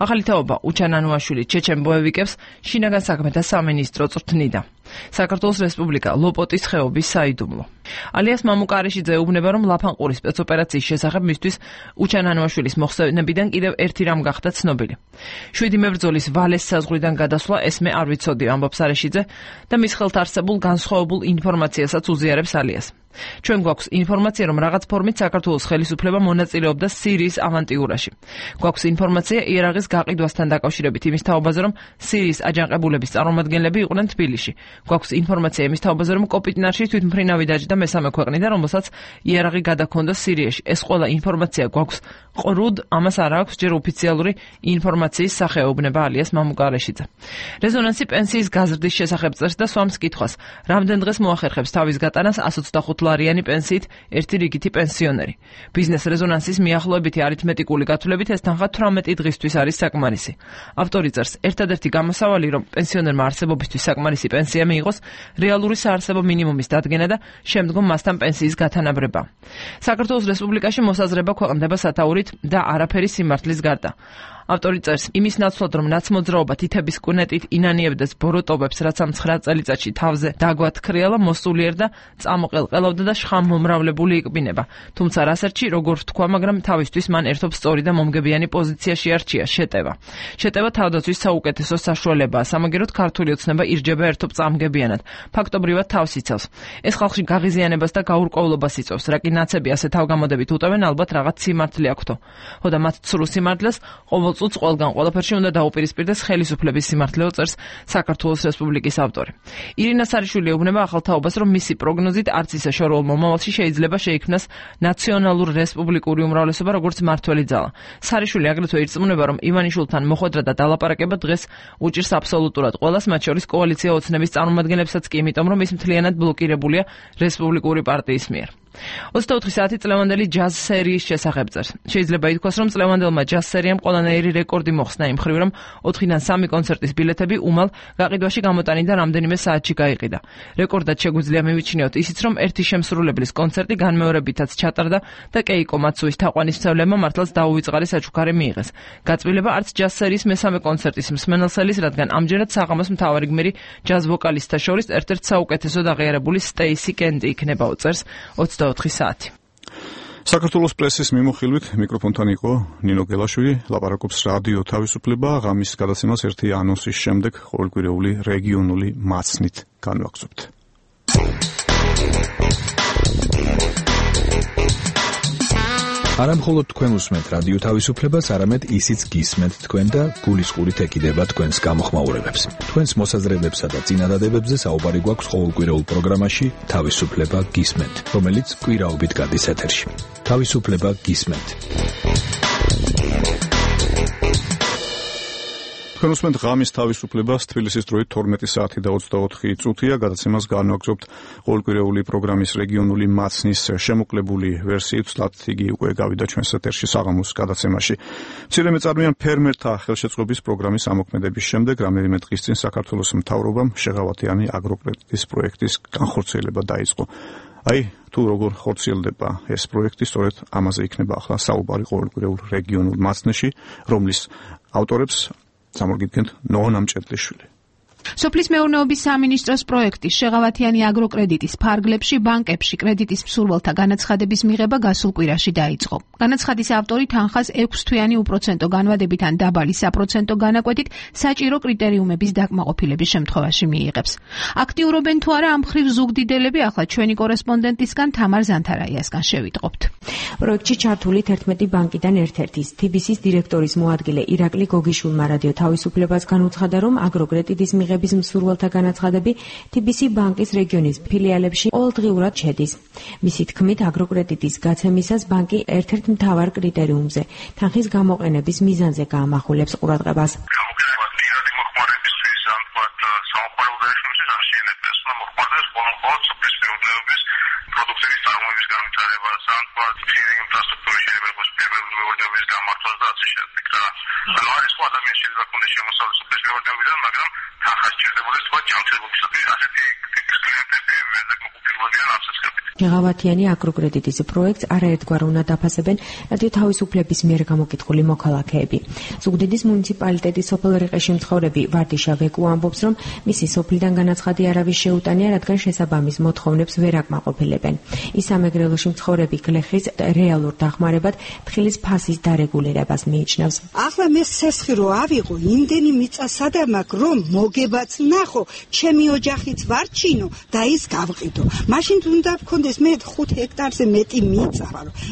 ახალი თაობა უჩან ანუაშვილი ჩეჩენ ბოევიკებს შინაგან საქმეთა სამინისტრო წვრთნიდა. საქართველოს რესპუბლიკა ლოპოტის ხეობის საიდუმლო. ალიას მამუკარეშიძე ეუბნება, რომ ლაფანყურის სპეცოპერაციის შესახებ მისთვის უჩან ანუაშვილის მოხსენებიდან კიდევ ერთი რამ გახდა ცნობილი. შვიდი მებრძოლის ვალეს საზღვრიდან გადასვლა ესმე არ ვიცოდი, ამბობს არეშიძე და მის ხელთ არსებულ განსხვავებულ ინფორმაციასაც უზიარებს ალიას. ჩვენ გვაქვს ინფორმაცია, რომ რაღაც ფორმით საქართველოს ხელისუფლება მონაწილეობდა სირიის ავანტიურაში. გვაქვს ინფორმაცია იარაღის გაყიდვასთან დაკავშირებით იმის თაობაზე, რომ სირიის აჯანყებულების წარმომადგენლები იყვნენ თბილისში. გვაქვს ინფორმაცია იმის თაობაზე, რომ კოპიტნარში თვითმფრინავი დაჯდა მესამე ქვეყნიდან, რომელსაც იარაღი გადაქონდა სირიაში. ეს ყველა ინფორმაცია გვაქვს ყრუდ, ამას არ აქვს ჯერ ოფიციალური ინფორმაციის სახეობნება ალიას მამუკარეშიძე. რეზონანსი პენსიის გაზრდის შესახებ წერს და სვამს კითხვას, რამდენ დღეს მოახერხებს თავის გატანას sto ოცდახუთ ლარიანი პენსიით ერთი რიგითი პენსიონერი. ბიზნეს რეზონანსის მიახლოებითი არითმეტიკული გათვლებით ეს თანხა თვრამეტი დღისთვის არის საკმარისი. ავტორი წერს, ერთადერთი გამოსავალი, რომ პენსიონერმა არსებობისთვის საკმარისი პენსია მიიღოს, რეალური საარსებო მინიმუმის დადგენა და შემდგომ მასთან პენსიის გათანაბრება. საქართველოს რესპუბლიკაში მოსაზრება ქვეყნდება სათაურით და არაფერი სიმართლის გარდა. ავტორი წერს, იმის ნაცვლად, რომ ნაცმოძრაობა თითების კუნეტით ინანიებდეს ბოროტობებს, რაც ამ ცხრა წელიწადში თავზე დაგვათქრიალა, მოსულიერ და წამოყელყელავდა და შხამმომრავლებული იქბინება. თუმცა რასერჩი, როგორ ვთქვა, მაგრამ თავისთვის მან ერთობ სწორი და მომგებიანი პოზიციაში არჩია შეტევა. შეტევა თავდაცვის საუკეთესო საშუალებაა, სამაგეროდ ქართული ოცნება ირჯება ერთობ წამგებიანად. ფაქტობრივად თავს იცავს. ეს ხალხში გაღიზიანებას და გაურკვევლობას იწვევს, რა კი ნაცები ასე თავგამოდებით უტევენ, ალბათ რაღაც სიმართლე აქვთო. ხოდა მათ ცრუ სიმართლეს ყოველ წუთს ყველგან ყველაფერში უნდა დაუპირისპირდეს ხელისუფლების სიმართლეო, წერს საქართველოს რესპუბლიკის ავტორი. ირინა სარიშვილი ეუბნება ახალ თაობას, რომ მისი პროგნოზით არც ისე შორეულ მომავალში შეიძლება შეიქმნას ნაციონალურ რესპუბლიკური უმრავლესობა, როგორც მართველი ძალა. სარიშვილი აგრეთვე ირწმუნება, რომ ივანიშვილთან მოხვედრა და დალაპარაკება დღეს უჭირს აბსოლუტურად ყველას, მათ შორის კოალიცია ოცნების წარმომადგენლებსაც კი, იმიტომ რომ ის მთლიანად ბლოკირებულია რესპუბლიკური პარტიის მიერ. ოცდაოთხი საათი წლევანდელი ჯაზ სერიის შესახებ წერს. შეიძლება ითქვას, რომ წლევანდებმა ჯაზ სერიამ ყველანაირი რეკორდი მოხსნა იმ მხრივ, რომ ოთხიდან სამი კონცერტის ბილეთები უმალ გაყიდვაში გამოტანიდან რამდენიმე საათში გაიყიდა. რეკორდად შეგვიძლია მივიჩნიოთ ისიც, რომ ერთი შემსრულებლის კონცერტი განმეორებითაც ჩატარდა და კეიკო მაცუის თაყვანისმცემლებმა მართლაც დაუვიწყარი საჩუქარი მიიღეს. გაწყვილება არც ჯაზ სერიის მესამე კონცერტის მსმენელსელის, რადგან ამჯერად საღამოს მთავარი გმირი ჯაზ ვოკალისტთა შორის ერთ-ერთ საუკეთესოდ აღიარებული სტეისი კენტი იქნებაო, წერს ოცდაოთხი საათი. საქართველოს პრესის მიმოხილვით მიკროფონთან იყო ნინო გელაშვილი, ლაპარაკობს რადიო თავისუფლება, ღამის გადაცემას ერთი ანონსის შემდეგ ყოველკვირეული რეგიონული მაცნით განვაგრძობთ. არა მხოლოდ თქვენ უსმენთ რადიო თავისუფლებას, არამედ ისიც გისმენთ თქვენ და გულისყურით ეკიდება თქვენს გამოხმაურებებს. თქვენს მოსაზრებებსა და წინადადებებზე საუბარი გვაქვს ყოველკვირეულ პროგრამაში თავისუფლება გისმენთ, რომელიც კვირაობით გადის ეთერში. თავისუფლება გისმენთ. თქვენ უსმენთ ღამის თავისუფლებას, თბილისის დროით თორმეტი საათი და ოცდაოთხი წუთია, გადაცემას განვაგრძობთ ყოველკვირეული პროგრამის რეგიონული მაცნის შემოკლებული ვერსიით, ვთქვათ, იგი უკვე გავიდა ჩვენს ეთერში საღამოს გადაცემაში. მცირე მეწარმეიან ფერმერთა ხელშეწყობის პროგრამის ამოქმედების შემდეგ, რამდენიმე დღის წინ საქართველოს მთავრობამ შეღავათიანი აგროკრედიტის პროექტის განხორციელება დაიწყო. აი, თუ როგორ ხორციელდება ეს პროექტი, სწორედ ამაზე იქნება ახლა საუბარი ყოველკვირეულ რეგიონულ მაცნეში, რომლის ავტორებს სამორგიდგენთ ნონა მჭედლიშვილი. სოფლის მეურნეობის სამინისტროს პროექტის შეღავათიანი აგროკრედიტის ფარგლებში ბანკებში კრედიტის მსურველთა განაცხადების მიღება გასულ კვირაში დაიწყო. განაცხადის ავტორი თანხას ექვსთვიანი უპროცენტო განვადებით ან დაბალი საპროცენტო განაკვეთით საჭირო კრიტერიუმების დაკმაყოფილების შემთხვევაში მიიღებს. აქტიურობენ თუ არა ამ მხრივ ზუგდიდელები, ახლა ჩვენი კორესპონდენტისგან თამარ ზანთარაიასგან შევიტყობთ. პროექტში ჩართული თერთმეტი ბანკიდან ერთ-ერთის თი ბი სის დირექტორის მოადგილე ირაკლი გოგიშვილმა რადიო თავისუფლებას განუცხადა, რომ აგროკრედიტის მიღების მსურველთა განაცხადები თი ბი სი ბანკის რეგიონის ფილიალებში ყოველდღიურად შედის. მისი თქმით, აგროკრედიტის გაცემისას ბანკი ერთ-ერთ მთავარ კრიტერიუმზე, თანხის გამოყენების მიზანზე გაამახვილებს ყურადღებას. პროდუქტების წარმოების განვითარება, სანტბად, ფიზიკური ინფრასტრუქტურის შეერთებას, პირველი მეურნეობის გამართვას და ასე შემდეგ. ანუ არის სხვა ადამიანის შეიძლება კონდეს შემოსავლის სოფლის მეურნეობიდან, მაგრამ თანხა სჭირდებოდა სხვა ჯანმრთელობისათვის ასეთი ტიპის კლიენტები მეზაკმაყოფილებელია ასეცებით. შეღავათიანი აგროკრედიტის პროექტს არაერთგვარ უნდა დაფასებენ რადიო თავისუფლების მიერ გამოკითხული მოქალაქეები. ზუგდიდის მუნიციპალიტეტის სოფელ რიყეში მცხოვრები ვარდიშა ვეკუ ამბობს, რომ მისი სოფლიდან განაცხადი არავის შეუტანია, რადგან შესაბამის მოთხოვნებს ვერ აკმაყოფილებენ. ის სამეგრელოში მცხოვრები გლეხის რეალურ დახმარებად თხილის ფასის დარეგულირებას მიიჩნევს. ახლა მე სესხი რო ავიღო, იმდენი მიწა სადამაკ, რომ მოგებაც ნახო, ჩემი ოჯახიც ვარჩინო და ის გავყიდო. მაშინ უნდა გქონდეს მე ხუთ ჰექტარზე მეტი მიწა,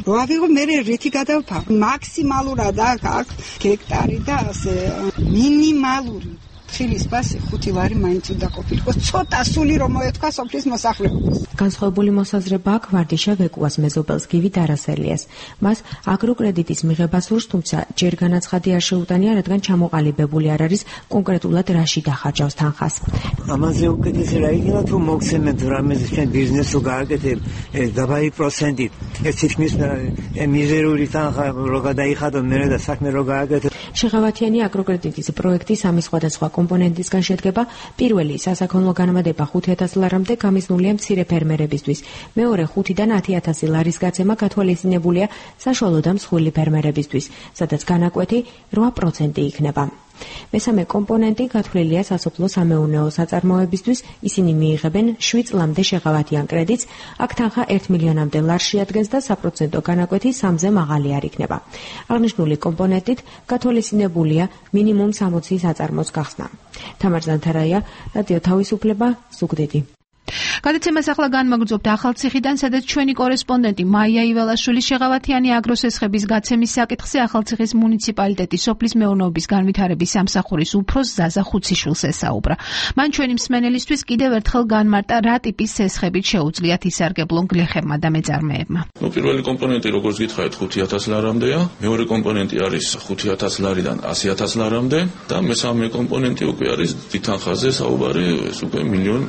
რო ავიღო მე რითი გადავფარო. მაქსიმალურად აქვს ჰექტარი და ასე მინიმალური თხილის ფასი ხუთი ვარი მაინც უნდა ყოფილიყო. ცოტა სული რომ მოეთქვა სოფლის მოსახლეობას. განსხვავებული მოსაზრება აქვს ვარდიშა ვეკუას მეზობელს გივი დარასელიას. მას აგროკრედიტის მიღება სურს, თუმცა ჯერ განაცხადი არ შეუტანია, რადგან ჩამოყალიბებული არ არის კონკრეტულად რაში დახარჯავს თანხას. ამაზე უკეთესი რა იქნება თუ მოგცემენ რამეზე ჩვენ ბიზნესს რო გააკეთებ დაბალი პროცენტით. ეს თითქმის მიზერული თანხა რო გადაიხადო მერე და საქმე რო გააკეთებ. შეღავათიანი აგროკრედიტის პროექტი სამი სხვადასხვა კომპონენტისგან შედგება. პირველი სასაქონლო განმადება ხუთი ათასი ლარამდე გამიზნულია მცირე ფერმერებისთვის. მეორე ხუთიდან ათი ათასი ლარის გაცემა გათვალისწინებულია საშუალო და მსხვილი ფერმერებისთვის, სადაც განაკვეთი რვა პროცენტი იქნება. მესამე კომპონენტი გათვლილია სასოფლო სამეურნეო საწარმოებისთვის, ისინი მიიღებენ შვიდ წლამდე შეღავათიან კრედიტს, აქ თანხა ერთ მილიონამდე ლარს შეადგენს და საპროცენტო განაკვეთი სამზე მაღალი არ იქნება. აღნიშნული კომპონენტით გათვალისწინებულია მინიმუმ სამოცი საწარმოს გახსნა. თამარ ზანთარაია, რადიო თავისუფლება, ზუგდიდი. გადაცემას ახლა განმაგრძობთ ახალციხიდან, სადაც ჩვენი კორესპონდენტი მაია იველაშვილი შეღავათიანი აგროსესხების გაცემის საკითხზე ახალციხის მუნიციპალიტეტის სოფლის მეურნეობის განვითარების სამსახურის უფროს ზაზა ხუციშვილს ესაუბრა. მან ჩვენი მსმენელისთვის კიდევ ერთხელ განმარტა, რა ტიპის სესხებით შეუძლიათ ისარგებლონ გლეხებმა და მეწარმეებმა. ნუ პირველი კომპონენტი, როგორც გითხარით, ხუთი ათასი ლარამდეა, მეორე კომპონენტი არის ხუთი ათასი ლარიდან ასი ათასი ლარამდე და მესამე კომპონენტი უკვე არის თითანხაზე საუბარი, ეს უკვე მილიონ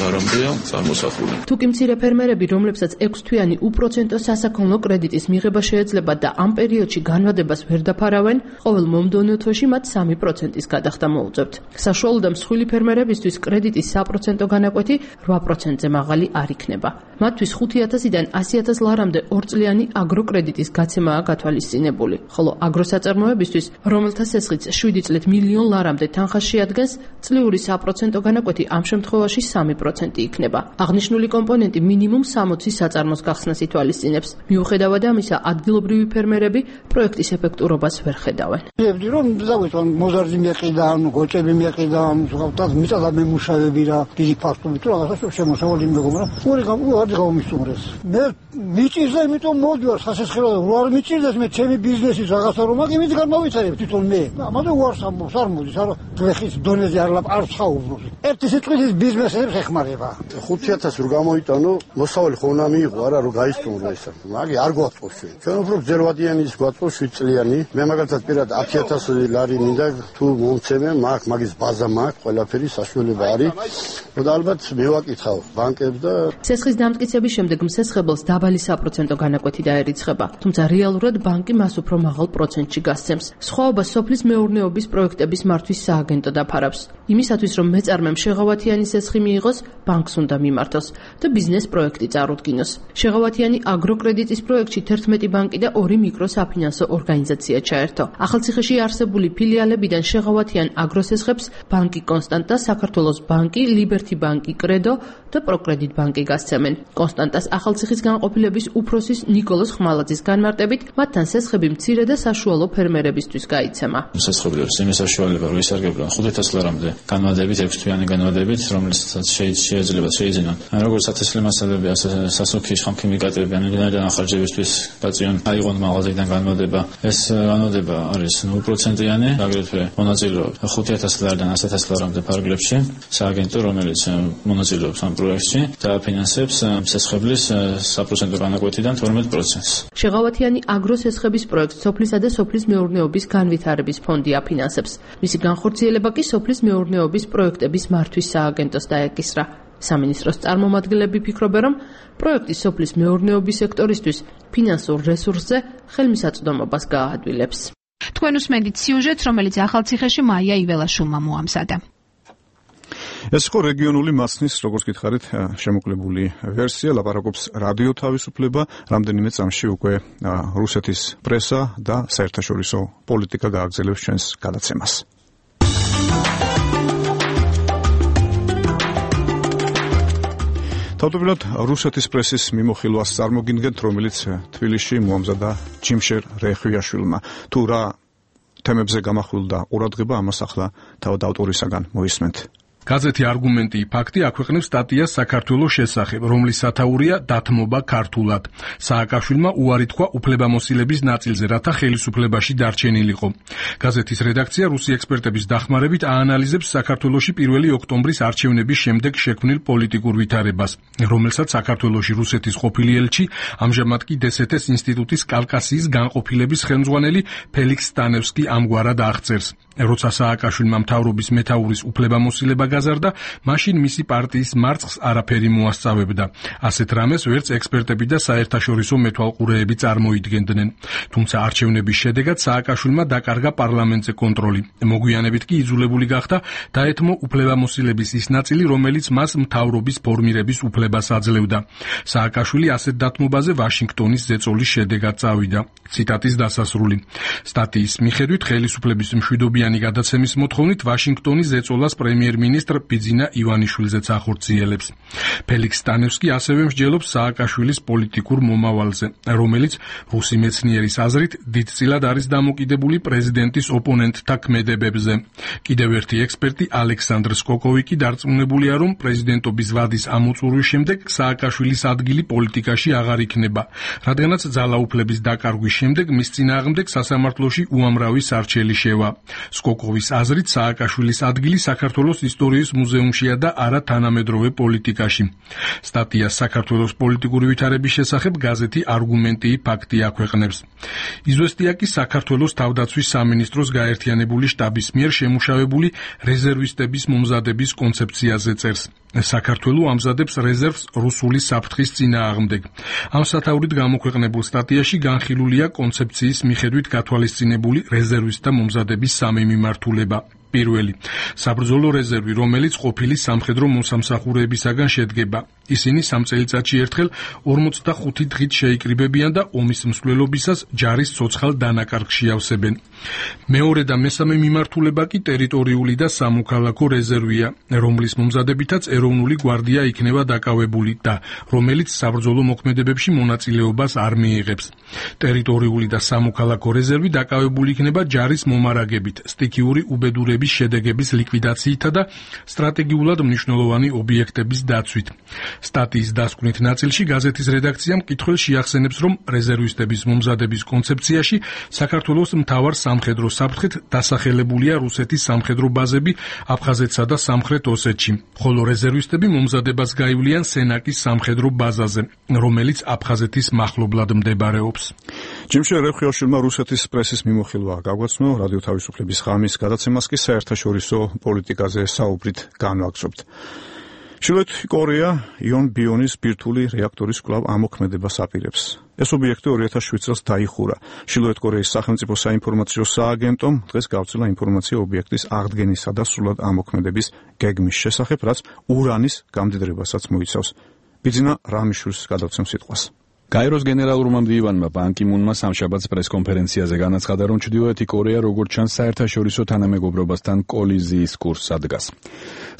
ლარამდეა. თუ კი მცირე ფერმერები, რომლებსაც ექვსთვიანი უპროცენტო სასაქონლო კრედიტის მიღება შეეძლებათ და ამ პერიოდში განვადებას ვერ დაფარავენ, ყოველ მომდევნო თვეში მათ სამი პროცენტის გადახდა მოუწევთ. საშუალო და მსხვილი ფერმერებისთვის კრედიტის საპროცენტო განაკვეთი რვა პროცენტზე მაღალი არ იქნება. მათთვის ხუთი ათასიდან ასი ათასი ლარამდე ორწლიანი აგროკრედიტის გაცემაა გათვალისწინებული, ხოლო აგროსაწარმოებისთვის, რომელთა სესხიც შვიდი წლით მილიონ ლარამდე თანხას შეადგენს, წლიური საპროცენტო განაკვეთი ამ შემთხვევაში სამი პროცენტი იქნება. აღნიშნული კომპონენტი მინიმუმ სამოცი საწარმოს გახსნას ითვალისწინებს. მიუხედავად ამისა, ადგილობრივი ფერმერები პროექტის ეფექტურობას ვერ ხედავენ. ვიებდი რომ დავიწყო მოზარდი მეყიდა, ანუ გოჭები მეყიდა, უბრალოდ მიწა მემუშავები რა, დიდი ფაქტობი თუ რაღაცა შემოსავალი მეგობრა. ორი გამო არ გამომისურეს. მე მიჭირდა, იმიტომ მოდივარ სასესხრო რო არ მიჭირდეს მე ჩემი ბიზნესის რაღაცა რომ მაგ იმით გამოვიცარებ თვითონ მე. ამაზე უარს ამბობს, არ მოდის, არა გლეხის დონეზე არ არ საუბრობს. ერთი სიტყვის ბიზნესებს ეხმარება. ხუთი ათასი რო გამოიტანო, მოსავალი ხო უნდა მიიღო, არა რომ გაისტუმრო ესა. მაგი არ გვაწყობს ჩვენ. ჩვენ უფრო გზელვადიანი ის გვაწყობს შვიდ წლიანი. მე მაგალითად პირად ათი ათასი ლარი მინდა თუ მომცემე, მაგ მაგის ბაზა მაგ, ყველაფერი საშუალება არის. და ალბათ მე ვაკითხავ ბანკებს და სესხის დამტკიცების შემდეგ მსესხებელს დაბალი საპროცენტო განაკვეთი დაერიცხება, თუმცა რეალურად ბანკი მას უფრო მაღალ პროცენტში გასცემს. სხვაობა სოფლის მეურნეობის პროექტების მართვის სააგენტო დაფარავს. იმისათვის რომ მეწარმემ შეღავათიანი სესხი მიიღოს, ბანკს ბანკს უნდა მიმართოს და ბიზნეს პროექტი წარუდგინოს. შეღავათიანი აგროკრედიტის პროექტში თერთმეტი ბანკი და ორი მიკროსაფინანსო ორგანიზაცია ჩაერთო. ახალციხეში არსებული ფილიალებიდან შეღავათიან აგროს ესხებს ბანკი კონსტანტა, საქართველოს ბანკი, ლიბერთი ბანკი, კრედო და პროკრედიტ ბანკი გასცემენ. კონსტანტას ახალციხის განყოფილების უფროსის ნიკოლოზ ხმალაძის განმარტებით, მათთან სესხები მცირე და საშუალო ფერმერებისთვის გაიცემა. სესხებლებს იმის საშუალება რომ ისარგებლონ ხუთი ლარამდე განმავლობით, ექვსი თვიანი განმავლობით, რომელსაც შეიძლება შეიძინონ. როგორც ათასლი მასალები, ასე სასუქი ხამქიმიკატები, ანალიზიდან ახარჯებისთვის პაციენტ აიღონ მაღაზიიდან განმავლება. ეს განმავლება არის ნულ პროცენტიანი, აგრეთვე მონაწილეობს ხუთი ათასი ლარიდან ასი ათასი ლარამდე ფარგლებში. სააგენტო, რომელიც მონაწილეობს ამ პროექტში და ფინანსებს სესხებლის საპროცენტო განაკვეთიდან თორმეტ პროცენტს. შეღავათიანი აგროს ესხების პროექტს სოფლისა და სოფლის მეურნეობის განვითარების ფონდი აფინანსებს. მისი განხორციელება კი სოფლის მეურნეობის პროექტების მართვის სააგენტოს დაეკისრა. სამინისტროს წარმომადგენლები ფიქრობენ, რომ პროექტი სოფლის მეურნეობის სექტორისთვის ფინანსურ რესურსზე ხელმისაწვდომობას გააადვილებს. თქვენ უსმენთ სიუჟეტს, რომელიც ახალციხეში მაია იველაშვილმა მოამზადა. ეს იყო რეგიონული მასნის, როგორც გითხარით, შემოკლებული ვერსია, ლაპარაკობს რადიო თავისუფლება, რამდენიმე წამში უკვე რუსეთის პრესა და საერთაშორისო პოლიტიკა გააგრძელებს ჩვენს გადაცემას. თავდაპირველად რუსეთის პრესის მიმოხილვას წარმოგიდგენთ, რომელიც თბილისში მოამზადა ჯიმშერ რეხვიაშვილმა. თუ რა თემებზე გამახვილდა ყურადღება, ამას ახლა თავად ავტორისაგან მოისმენთ. გაზეთი არგუმენტი ფაქტი აქვეყნებს სტატიას საქართველოს შესახებ, რომლის სათაურია დათმობა ქართულად. სააკაშვილმა უარი თქვა უფლებამოსილების ნაწილზე, რათა ხელისუფლებაში დარჩენილიყო. გაზეთის რედაქცია რუსი ექსპერტების დახმარებით აანალიზებს საქართველოში პირველი ოქტომბრის არჩევნების შემდეგ შექმნილ პოლიტიკურ ვითარებას, რომელსაც საქართველოში რუსეთის ყოფილი ელჩი, ამჟამად კი დსთ-ის ინსტიტუტის კავკასიის განყოფილების ხელმძღვანელი ფელიქს სტანევსკი ამგვარად აღწერს. როცა სააკაშვილმა მთავრობის მეთაურის უფლებამოსილება გაზარდა, მაშინ მისი პარტიის მარცხს არაფერი მოასწავებდა. ასეთ რამეს ვერც ექსპერტები და საერთაშორისო მეთვალყურეები წარმოიდგენდნენ. თუმცა არჩევნების შედეგად სააკაშვილმა დაკარგა პარლამენტზე კონტროლი. მოგვიანებით კი იძულებული გახდა დაეთმო უფლებამოსილების ის ნაწილი, რომელიც მას მთავრობის ფორმირების უფლებას აძლევდა. სააკაშვილი ასეთ დათმობაზე ვაშინგტონის ზეწოლის შედეგად წავიდა. ციტატის დასასრული. სტატიის მიხედვით ხელისუფლების მშვიდობიანი გადაცემის მოთხოვნით ვაშინგტონის ზეწოლას პრემიერ-მინისტრ ბიძინა ივანიშვილზეც ახორციელებს. ფელიქს სტანევსკი ასევე მსჯელობს სააკაშვილის პოლიტიკურ მომავალზე, რომელიც რუსი მეცნიერის აზრით დიდწილად არის დამოკიდებული პრეზიდენტის ოპონენტთა ქმედებებზე. კიდევ ერთი ექსპერტი ალექსანდრ სკოკოვი კი დარწმუნებულია, რომ პრეზიდენტობის ვადის ამოწურვის შემდეგ სააკაშვილის ადგილი პოლიტიკაში აღარ იქნება, რადგანაც ძალაუფლების დაკარგვის შემდეგ მის წინააღმდეგ სასამართლოში უამრავი სარჩელი შევა. სკოკოვის აზრით სააკაშვილის ადგილი საქართველოს ისტორიის მუზეუმშია და არა თანამედროვე პოლიტიკაში. სტატიას საქართველოს პოლიტიკური ვითარების შესახებ გაზეთი არგუმენტი ფაქტი აქვეყნებს. იზვესტია კი საქართველოს თავდაცვის სამინისტროს გაერთიანებული შტაბის მიერ შემუშავებული რეზერვისტების მომზადების კონცეფციაზე წერს. საქართველო ამზადებს რეზერვს რუსული საფრთხის წინააღმდეგ. ამ სათაურით გამოქვეყნებულ სტატიაში განხილულია კონცეფციის მიხედვით გათვალისწინებული რეზერვისტთა მომზადების სამი მიმართულება. პირველი, საბრძოლო რეზერვი, რომელიც ყოფილი სამხედრო მოსამსახურეებისაგან შედგება. ისინი სამ წელიწადში ერთხელ ორმოცდახუთი დღით შეიკრიბებიან და ომის მსვლელობისას ჯარის ცოცხალ დანაკარგში ავსებენ. მეორე და მესამე მიმართულება კი ტერიტორიული და სამოქალაქო რეზერვია, რომლის მომზადებითაც ეროვნული გვარდია იქნება დაკავებული და რომელიც საბრძოლო მოქმედებებში მონაწილეობას არ მიიღებს. ტერიტორიული და სამოქალაქო რეზერვი დაკავებული იქნება ჯარის მომარაგებით, სტიქიური უბედურების შედეგების ლიკვიდაციითა და სტრატეგიულად მნიშვნელოვანი ობიექტების დაცვით. სტატიის დასკვნით ნაწილში გაზეთის რედაქცია მკითხველს შეახსენებს, რომ რეზერვისტების მომზადების კონცეფციაში საქართველოს მთავარ სამხედრო საფრთხედ დასახელებულია რუსეთის სამხედრო ბაზები აფხაზეთსა და სამხრეთ ოსეთში, ხოლო რეზერვისტები მომზადებას გაივლიან სენაკის სამხედრო ბაზაზე, რომელიც აფხაზეთის მახლობლად მდებარეობს. ჯიმშერ რეხვიაშვილმა რუსეთის პრესის მიმოხილვა გაგვაცნო, რადიო თავისუფლების ღამის გადაცემას კი საერთაშორისო პოლიტიკაზე საუბრით განვაგრძობთ. ჩრდილოეთ კორეა იონ ბიონის ბირთვული რეაქტორის კვლავ ამოქმედებას აპირებს. ეს ობიექტი ორი ათას შვიდ წელს დაიხურა. ჩრდილოეთ კორეის სახელმწიფო საინფორმაციო სააგენტომ დღეს გავცელა ინფორმაცია ობიექტის აღდგენისა და სრულად ამოქმედების გეგმის შესახებ, რაც ურანის გამდიდრებასაც მოიცავს. ბიძინა რამიშვილს გადავცემ სიტყვას. გაეროს გენერალურმა მდივანმა ბან კი მუნმა სამშაბათს პრესკონფერენციაზე განაცხადა, რომ ჩრდილოეთი კორეა როგორც ჩანს საერთაშორისო თანამეგობრობასთან კოლიზიის კურსს ადგას.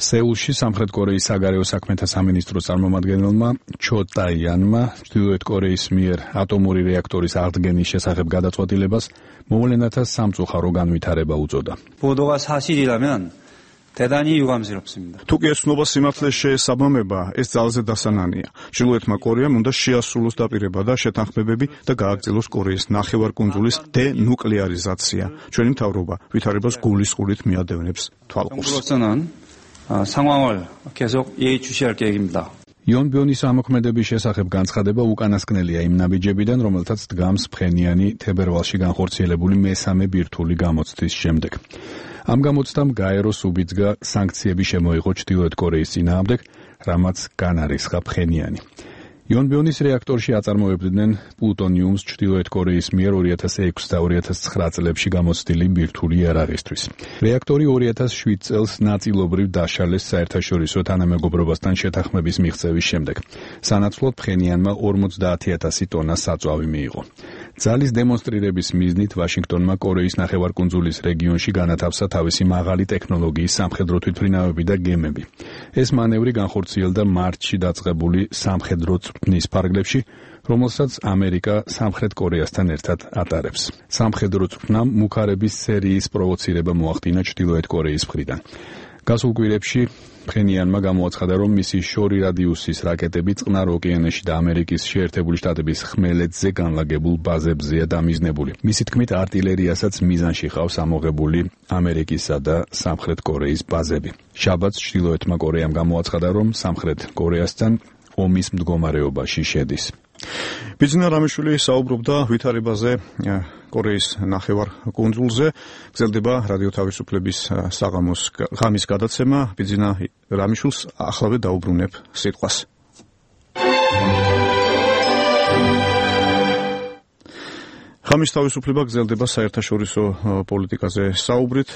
სეულში სამხრეთ კორეის საგარეო საქმეთა სამინისტროს წარმომადგენელმა ჩო ტაიანმა ჩრდილოეთ კორეის მიერ ატომური რეაქტორის აღდგენის შესახებ გადაწყვეტილებას მოვლენათა სამწუხარო განვითარება უწოდა. 보도가 사실이라면 대단히 유감스럽습니다. თუკი ეს ცნობა სიმართლეს შეესაბამება, ეს ძალზე დასანანია. ჩრდილოეთმა კორეამ უნდა შეასრულოს დაპირება და შეთანხმებები და გააგრძელოს კორეის ნახევარკუნძულის დენუკლეარიზაცია. ჩვენი მთავრობა ვითარებას გულისყურით მიადევნებს თვალყურს. 상황을 계속 예의주시할 계획입니다. იონ ბიონის ამოქმედების შესახებ განცხადება უკანასკნელია იმ ნაბიჯებიდან, რომელთაც დგამს ფხენიანი თებერვალში განხორციელებული მესამე ბირთვული გამოცდის შემდეგ. ამ გამოცდამ გაეროს უბიძგა სანქციები შემოიღო ჩრდილოეთ კორეის წინააღმდეგ, რამაც განარისხა ფხენიანი. იონ ბიონის რეაქტორში აწარმოებდნენ პლუტონიუმს ჩრდილოეთ კორეის მიერ ორი ათას ექვსი და ორი ათას ცხრა წლებში გამოცდილი ბირთვული იარაღისთვის. რეაქტორი ორი ათას შვიდ წელს ნაწილობრივ დაშალეს საერთაშორისო თანამეგობრობასთან შეთანხმების მიღწევის შემდეგ. სანაცვლოდ ფხენიანმა ორმოცდაათი ათასი ტონა საწვავი მიიღო. ძალის დემონსტრირების მიზნით ვაშინგტონმა კორეის ნახევარკუნძულის რეგიონში განათავსა თავისი მაღალი ტექნოლოგიის სამხედრო თვითმფრინავები და გემები. ეს მანევრი განხორციელდა მარტში დაწყებული სამხედრო წვრთნის ფარგლებში, რომელსაც ამერიკა სამხრეთ კორეასთან ერთად ატარებს. სამხედრო წვრთნამ მუქარების სერიის პროვოცირება მოახდინა ჩრდილოეთ კორეის მხრიდან. გასულ კვირებში ფხენიანმა გამოაცხადა, რომ მისი შორი რადიუსის რაკეტები წყნარ ოკეანეში და ამერიკის შეერთებული შტატების ხმელეთზე განლაგებულ ბაზებზეა დამიზნებული. მისი თქმით, არტილერიასაც მიზანში ყავს ამოღებული ამერიკისა და სამხრეთ კორეის ბაზები. შაბათს ჩრდილოეთმა კორეამ გამოაცხადა, რომ სამხრეთ კორეასთან ომის მდგომარეობაში შედის. ბიძინა რამიშვილი საუბრობდა ვითარებაზე კორეის ნახევარ კუნძულზე. გრძელდება რადიო თავისუფლების საღამოს ღამის გადაცემა. ბიძინა რამიშვილს ახლავე დაუბრუნებ სიტყვას. ღამის თავისუფლება გრძელდება საერთაშორისო პოლიტიკაზე საუბრით.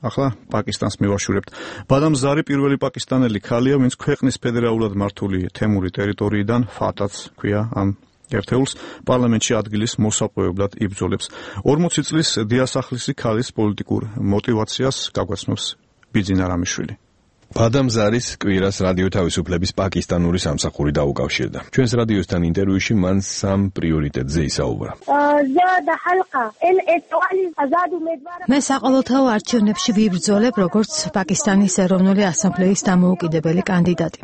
ახლა პაკისტანს მივაშურებთ. ბადამ ზარი პირველი პაკისტანელი ქალია, ვინც ქვეყნის ფედერალურად მართული თემური ტერიტორიიდან ფათაც ქვია ამ ერთეულს პარლამენტში ადგილის მოსაპოვებლად იბრძოლებს. ორმოცი წლის დიასახლისი ქალის პოლიტიკურ მოტივაციას გაგვაცნობს ბიძინა რამიშვილი. ბადამ ზარის კვირას რადიო თავისუფლების პაკისტანური სამსახური დაუკავშირდა. ჩვენს რადიოსთან ინტერვიუში მან სამ პრიორიტეტზე ისაუბრა. მე საყოველთაო არჩევნებში ვიბრძოლებ როგორც პაკისტანის ეროვნული ასამბლეის დამოუკიდებელი კანდიდატი.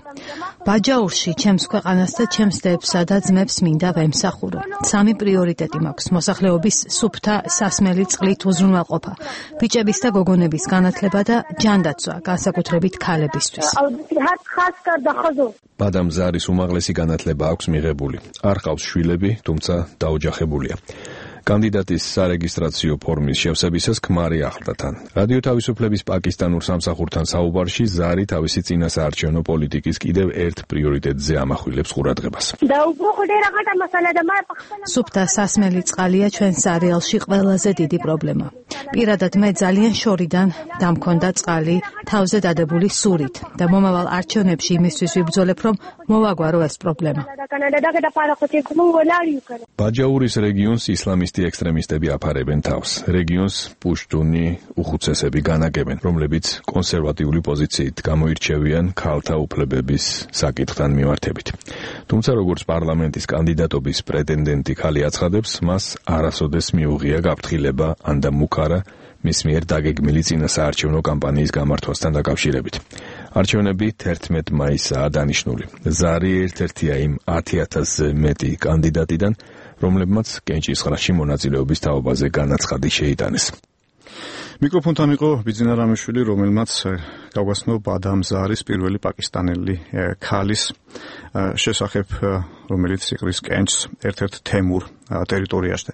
ბაჯაურში ჩემს ქვეყანას და ჩემს დედსა და ძმებს მინდა ვემსახურო. სამი პრიორიტეტი მაქვს: მოსახლეობის სუფთა სასმელი წყლით უზრუნველყოფა, ბიჭების და გოგონების განათლება და ჯანდაცვა, განსაკუთრებით ქალებისთვის. ბადამ ზარის უმაღლესი განათლება აქვს მიღებული. არ ყავს შვილები, თუმცა დაოჯახებულია. კანდიდატის სარეგისტრაციო ფორმის შევსებისას ქმარი ახლდა თან. რადიო თავისუფლების პაკისტანურ სამსახურთან საუბარში ზარი თავისი წინასაარჩევნო პოლიტიკის კიდევ ერთ პრიორიტეტზე ამახვილებს ყურადღებას. სუფთა სასმელი წყალია ჩვენს არეალში ყველაზე დიდი პრობლემა. პირადად მე ძალიან შორიდან დამქონდა წყალი თავზე დადებული სურით და მომავალ არჩევნებში იმისთვის ვიბრძოლებ, რომ მოვაგვარო ეს პრობლემა. ბაჯაურის რეგიონს ისლამისტი ექსტრემისტები აფარებენ თავს. რეგიონს პუშტუნი უხუცესები განაგებენ, რომლებიც კონსერვატიული პოზიციით გამოირჩევიან ქალთა უფლებების საკითხთან მიმართებით. თუმცა როგორც პარლამენტის კანდიდატობის პრეტენდენტი ქალი აცხადებს, მას არასოდეს მიუღია გაფრთხილება ან და მუქარა მის მიერ დაგეგმილი წინასაარჩევნო კამპანიის გამართვასთან დაკავშირებით. არჩევნები თერთმეტ მაისაა დანიშნული. ზარი ერთ-ერთია იმ ათი ათასზე მეტი კანდიდატიდან, რომლებმაც კენჭისყრაში მონაწილეობის თაობაზე განაცხადი შეიტანეს. მიკროფონთან იყო ბიძინა რამიშვილი, რომელმაც გავგაცნო ბადამ ზარის პირველი პაკისტანელი ქალის შესახებ, რომელიც იყრის კენჭს ერთ-ერთ თემურ ტერიტორიაში.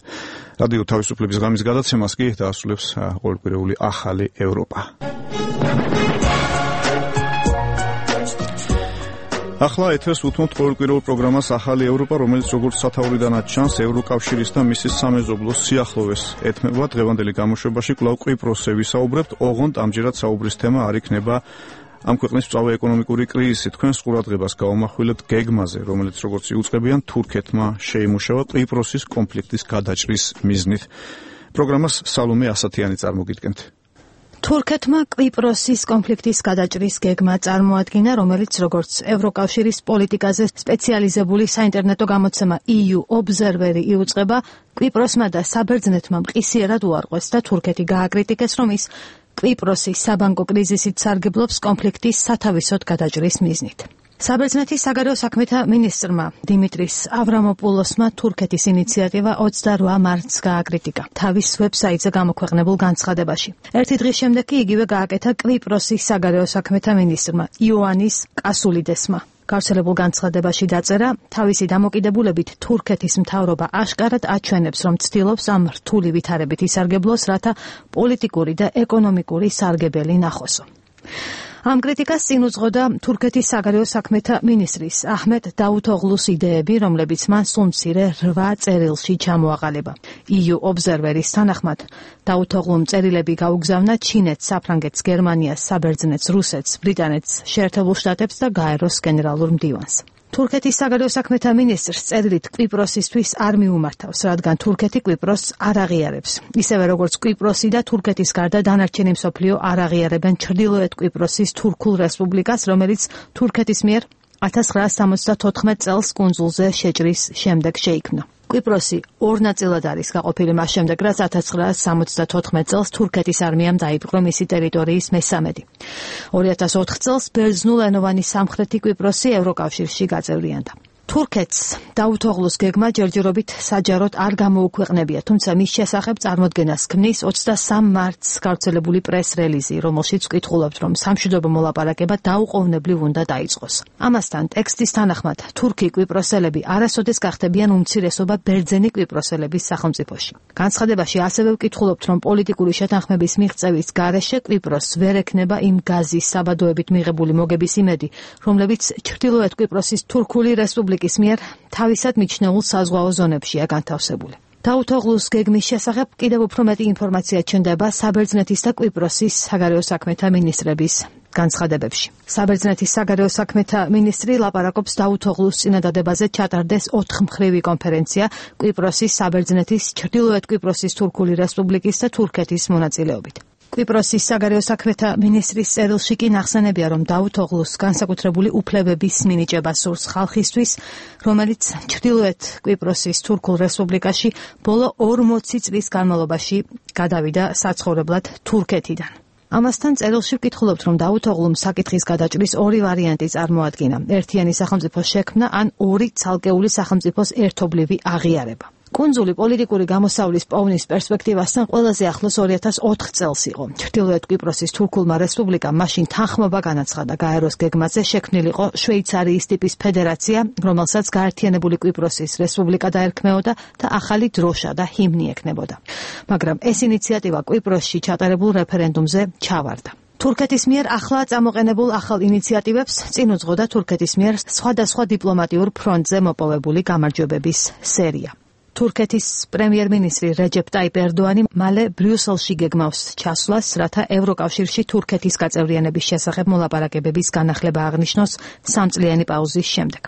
რადიო თავისუფლების ღამის გადაცემას კი დაასრულებს ყოველკვირეული ახალი ევროპა. ახლა ეთერს უთმობთ ყოველკვირეულ პროგრამას ახალი ევროპა, რომელიც როგორც სათაურიდანაც ჩანს, ევროკავშირის და მისის სამეზობლოს სიახლოვეს ეთმება. დღევანდელი გამოშვებაში კვლავ კვიპროსზე ვისაუბრებთ, ოღონდ ამჯერად საუბრის თემა არ იქნება ამ ქვეყნის მწვავე ეკონომიკური კრიზისი. თქვენს ყურადღებას გავამახვილებთ გეგმაზე, რომელიც როგორც იუწყებიან თურქეთმა შეიმუშავა კვიპროსის კონფლიქტის გადაჭრის მიზნით. პროგრამას სალომე ასათიანი წარმოგიდგენთ. თურქეთმა კვიპროსის კონფლიქტის გადაჭრის გეგმა წარმოადგინა, რომელიც როგორც ევროკავშირის პოლიტიკაზე სპეციალიზებული საინტერნეტო გამოცემა ი იუ Observer იუწყება, კვიპროსმა და საბერძნეთმა მყისიერად უარყვეს და თურქეთი გააკრიტიკეს, რომ ის კვიპროსის საბანკო კრიზისით სარგებლობს კონფლიქტის სათავისოდ გადაჭრის მიზნით. საბერძნეთის საგარეო საქმეთა მინისტრმა დიმიტრის ავრამოპულოსმა თურქეთის ინიციატივა ოცდაოთხ მარტს გააკრიტიკა თავის ვებსაიტზე გამოქვეყნებულ განცხადებაში. ერთი დღის შემდეგ კი იგივე გააკეთა კვიპროსის საგარეო საქმეთა მინისტრმა იოანnis კასულიდესმა. გავრცელებულ განცხადებაში დაწერა, თავისი დამოკიდებულებით თურქეთის მთავრობა აშკარად აჩვენებს, რომ ცდილობს ამ რთული ვითარებით ისარგებლოს, რათა პოლიტიკური და ეკონომიკური სარგებელი ნახოსო. ამ კრიტიკას წინ უძღოდა თურქეთის საგარეო საქმეთა მინისტრის აჰმედ დაუთოღლუს იდეები, რომლებიც მან სულ მცირე რვა წერილში ჩამოაყალიბა. ი იუ Observer-ის თანახმად, დაუთოღლუმ წერილები გაუგზავნა ჩინეთს, საფრანგეთს, გერმანიას, საბერძნეთს, რუსეთს, ბრიტანეთს, შეერთებულ შტატებს და გაეროს გენერალურ მდივანს. თურქეთის საგარეო საქმეთა მინისტრს წერილით კვიპროსისთვის არ მიუმართავს, რადგან თურქეთი კვიპროსს არ აღიარებს. ისევე როგორც კვიპროსი და თურქეთის გარდა დანარჩენი მსოფლიო არ აღიარებენ ჩრდილოეთ კვიპროსის თურქულ რესპუბლიკას, რომელიც თურქეთის მიერ ათას ცხრაასი სამოცდათოთხმეტ წელს კუნძულზე შეჭრის შემდეგ შეიქმნა. კვიპროსი ორ ნაწილად არის გაყოფილი მას შემდეგ, რაც ათას ცხრაასი სამოცდათოთხმეტ წელს თურქეთის არმიამ დაიპყრო მისი ტერიტორიის მესამედი. ორი ათას ოთხ წელს ბერძნულენოვანი სამხრეთი კვიპროსი ევროკავშირში გაწევრიანდა. თურქეთს დაუთოღლუს გეგმა ჯერჯერობით საჯაროდ არ გამოუქვეყნებია, თუმცა მის შესახებ წარმოდგენას ქმნის ოცდასამ მარტს გავრცელებული პრეს-რელიზი, რომელშიც ვკითხულობთ, რომ სამშვიდობო მოლაპარაკება დაუყოვნებლივ უნდა დაიწყოს. ამასთან, ტექსტის თანახმად, თურქი კვიპროსელები არასოდეს გახდებიან უმცირესობა ბერძენი კვიპროსელების სახელმწიფოში. განცხადებაში ასევე ვკითხულობთ, რომ პოლიტიკური შეთანხმების მიღწევის გარეშე კვიპროსს ვერ ექნება იმ გაზის საბადოებით მიღებული მოგების იმედი, რომლებიც ჩრდილოეთ კვიპროსის თურქული რესპუბლიკის მიერ თავისად მიჩნეულ საზღვაო ზონებშია განთავსებული. დაუთოღლუს გეგმის შესახებ კიდევ უფრო მეტი ინფორმაცია ჩნდება საბერძნეთის და კვიპროსის საგარეო საქმეთა მინისტრების განცხადებებში. საბერძნეთის საგარეო საქმეთა მინისტრი ლაპარაკობს დაუთოღლუს წინადადებაზე ჩატარდეს ოთხმხრივი კონფერენცია კვიპროსის, საბერძნეთის, ჩრდილოეთ კვიპროსის თურქული რესპუბლიკის და თურქეთის მონაწილეობით. კვიპროსის საგარეო საქმეთა მინისტრის წერილში კი ნახსენებია, რომ დაუთოღლუს განსაკუთრებული უფლებების მინიჭება სურს ხალხისთვის, რომელიც ჩრდილოეთ კვიპროსის თურქულ რესპუბლიკაში ბოლო ორმოცი წლის განმავლობაში გადავიდა საცხოვრებლად თურქეთიდან. ამასთან წერილში ვკითხულობთ, რომ დაუთოღლუმ საკითხის გადაჭრის ორი ვარიანტი წარმოადგინა: ერთიანი სახელმწიფოს შექმნა ან ორი ცალკეული სახელმწიფოს ერთობლივი აღიარება. კუნძული პოლიტიკური გამოსავლის პოვნის პერსპექტივასთან ყველაზე ახლოს ორი ათას ოთხ წელს იყო. ჩრდილოეთ კვიპროსის თურქულმა რესპუბლიკამ მაშინ თანხმობა განაცხადა გაეროს გეგმაზე შექმნილიყო შვეიცარიის ტიპის ფედერაცია, რომელსაც გაერთიანებული კვიპროსის რესპუბლიკა დაერქმეოდა და ახალი დროშა და ჰიმნი ექნებოდა. მაგრამ ეს ინიციატივა კვიპროსში ჩატარებულ რეფერენდუმზე ჩავარდა. თურქეთის მიერ ახლა წამოყენებულ ახალ ინიციატივებს წინ უძღოდა თურქეთის მიერ სხვადასხვა დიპლომატიურ ფრონტზე მოპოვებული გამარჯვებების სერია. თურქეთის პრემიერ-მინისტრი რეჯეპ ტაიპ ერდოანი მალე ბრიუსელში გეგმავს ჩასვლას, რათა ევროკავშირში თურქეთის გაწევრიანების შესახებ მოლაპარაკებების განახლება აღნიშნოს სამწლიანი პაუზის შემდეგ.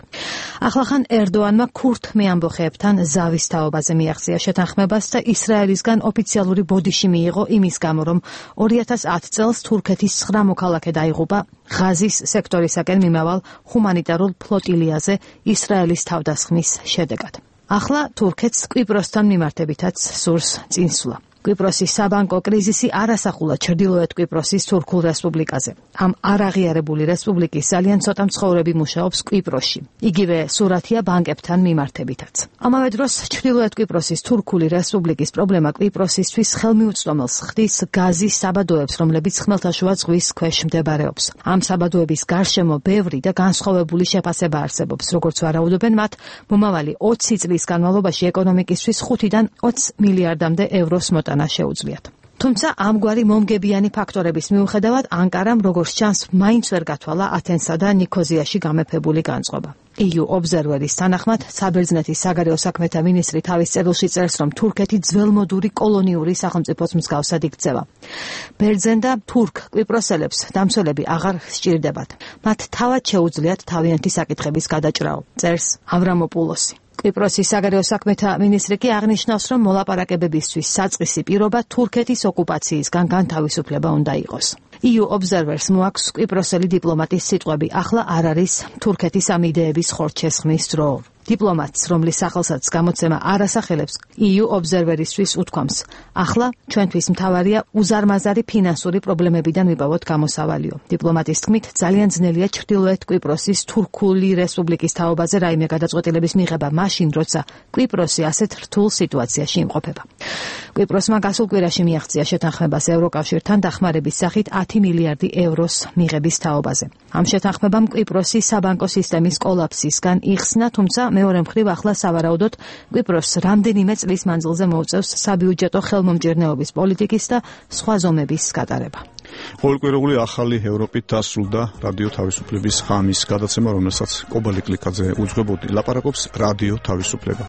ახლახან ერდოანმა ქურთ მეამბოხეებთან ზავის თაობაზე მიაღწია შეთანხმებას და ისრაელისგან ოფიციალური ბოდიში მიიღო იმის გამო, რომ ორი ათას ათი წელს თურქეთის ცხრა მოქალაქე დაიღუპა ღაზის სექტორისაკენ მიმავალ ჰუმანიტარულ ფლოტილიაზე ისრაელის თავდასხმის შედეგად. ახლა თურქეთს კვიპროსთან მიმართებითაც სურს წინსვლა. კვიპროსის საბანკო კრიზისი არ ასახულა ჩრდილოეთ კვიპროსის თურქულ რესპუბლიკაზე. ამ არაღიარებული რესპუბლიკის ძალიან ცოტა მცხოვრები მუშაობს კვიპროსში. იგივე სურათია ბანკებთან მიმართებითაც. ამავე დროს ჩრდილოეთ კვიპროსის თურქული რესპუბლიკის პრობლემა კვიპროსისთვის ხელმიუწვდომელს ხდის გაზის საბადოებს, რომლებიც ხმელთაშუა ზღვის ქვეშ მდებარეობს. ამ საბადოების გარშემო ბევრი და განსხვავებული შეფასება არსებობს, როგორც ვარაუდობენ მათ, მომავალი ოცი წლის განმავლობაში ეკონომიკისთვის ხუთიდან ოცი მილიარდამდე ევროს მოტანა შეუძლიათ. თუმცა ამგვარი მომგებიანი ფაქტორების მიუხედავად ანკარამ როგორც ჩანს მაინც ვერ გათვალა ათენსა და ნიქოზიაში გამეფებული განწყობა. ი იუ ობზერვერის თანახმად საბერძნეთის საგარეო საქმეთა მინისტრი თავის წერილში წერს, რომ თურქეთი ძველმოდური კოლონიური სახელმწიფოს მსგავსად იქცევა. ბერძენ და თურქ კვიპროსელებს დამცველები აღარ სჭირდებათ. მათ თავად შეუძლიათ თავიანთი საკითხების გადაჭრაო, წერს ავრამოპულოსი. კვიპროსის საგარეო საქმეთა მინისტრი კი აღნიშნავს, რომ მოლაპარაკებებისთვის საწყისი პირობა თურქეთის ოკუპაციისგან განთავისუფლება უნდა იყოს. ი იუ ობზერვერს მოაქვს კვიპროსელი დიპლომატის სიტყვები, ახლა არ არის თურქეთის ამ იდეების ხორცშესხმის დრო. დიპლომატს, რომლის სახელსაც გამოცემა არ ასახელებს, ი იუ ობზერვერისთვის უთქვამს, ახლა ჩვენთვის მთავარია უზარმაზარი ფინანსური პრობლემებიდან ვიპოვოთ გამოსავალიო. დიპლომატის თქმით, ძალიან ძნელია ჩრდილოეთ კვიპროსის თურქული რესპუბლიკის თაობაზე რაიმე გადაწყვეტილების მიღება მაშინ, როცა კვიპროსი ასეთ რთულ სიტუაციაში იმყოფება. კვიპროსმა გასულ კვირაში მიაღწია შეთანხმებას ევროკავშირთან დახმარების სახით ათი მილიარდი ევროს მიღების თაობაზე. ამ შეთანხმებამ კვიპროსი საბანკო სისტემის კოლაფსისგან იხსნა, თუმცა მეორე მხრივ ახლა სავარაუდოდ კვიპროსს რამდენიმე წლის მანძილზე მოუწევს საბიუჯეტო ხელმომჭირნეობის პოლიტიკის და სხვა ზომების გატარება. ყოველკვირეული ახალი ევროპით დასრულდა რადიო თავისუფლების ღამის გადაცემა, რომელსაც კობალი კლიკაძე უძღვებოდი. ლაპარაკობს რადიო თავისუფლება.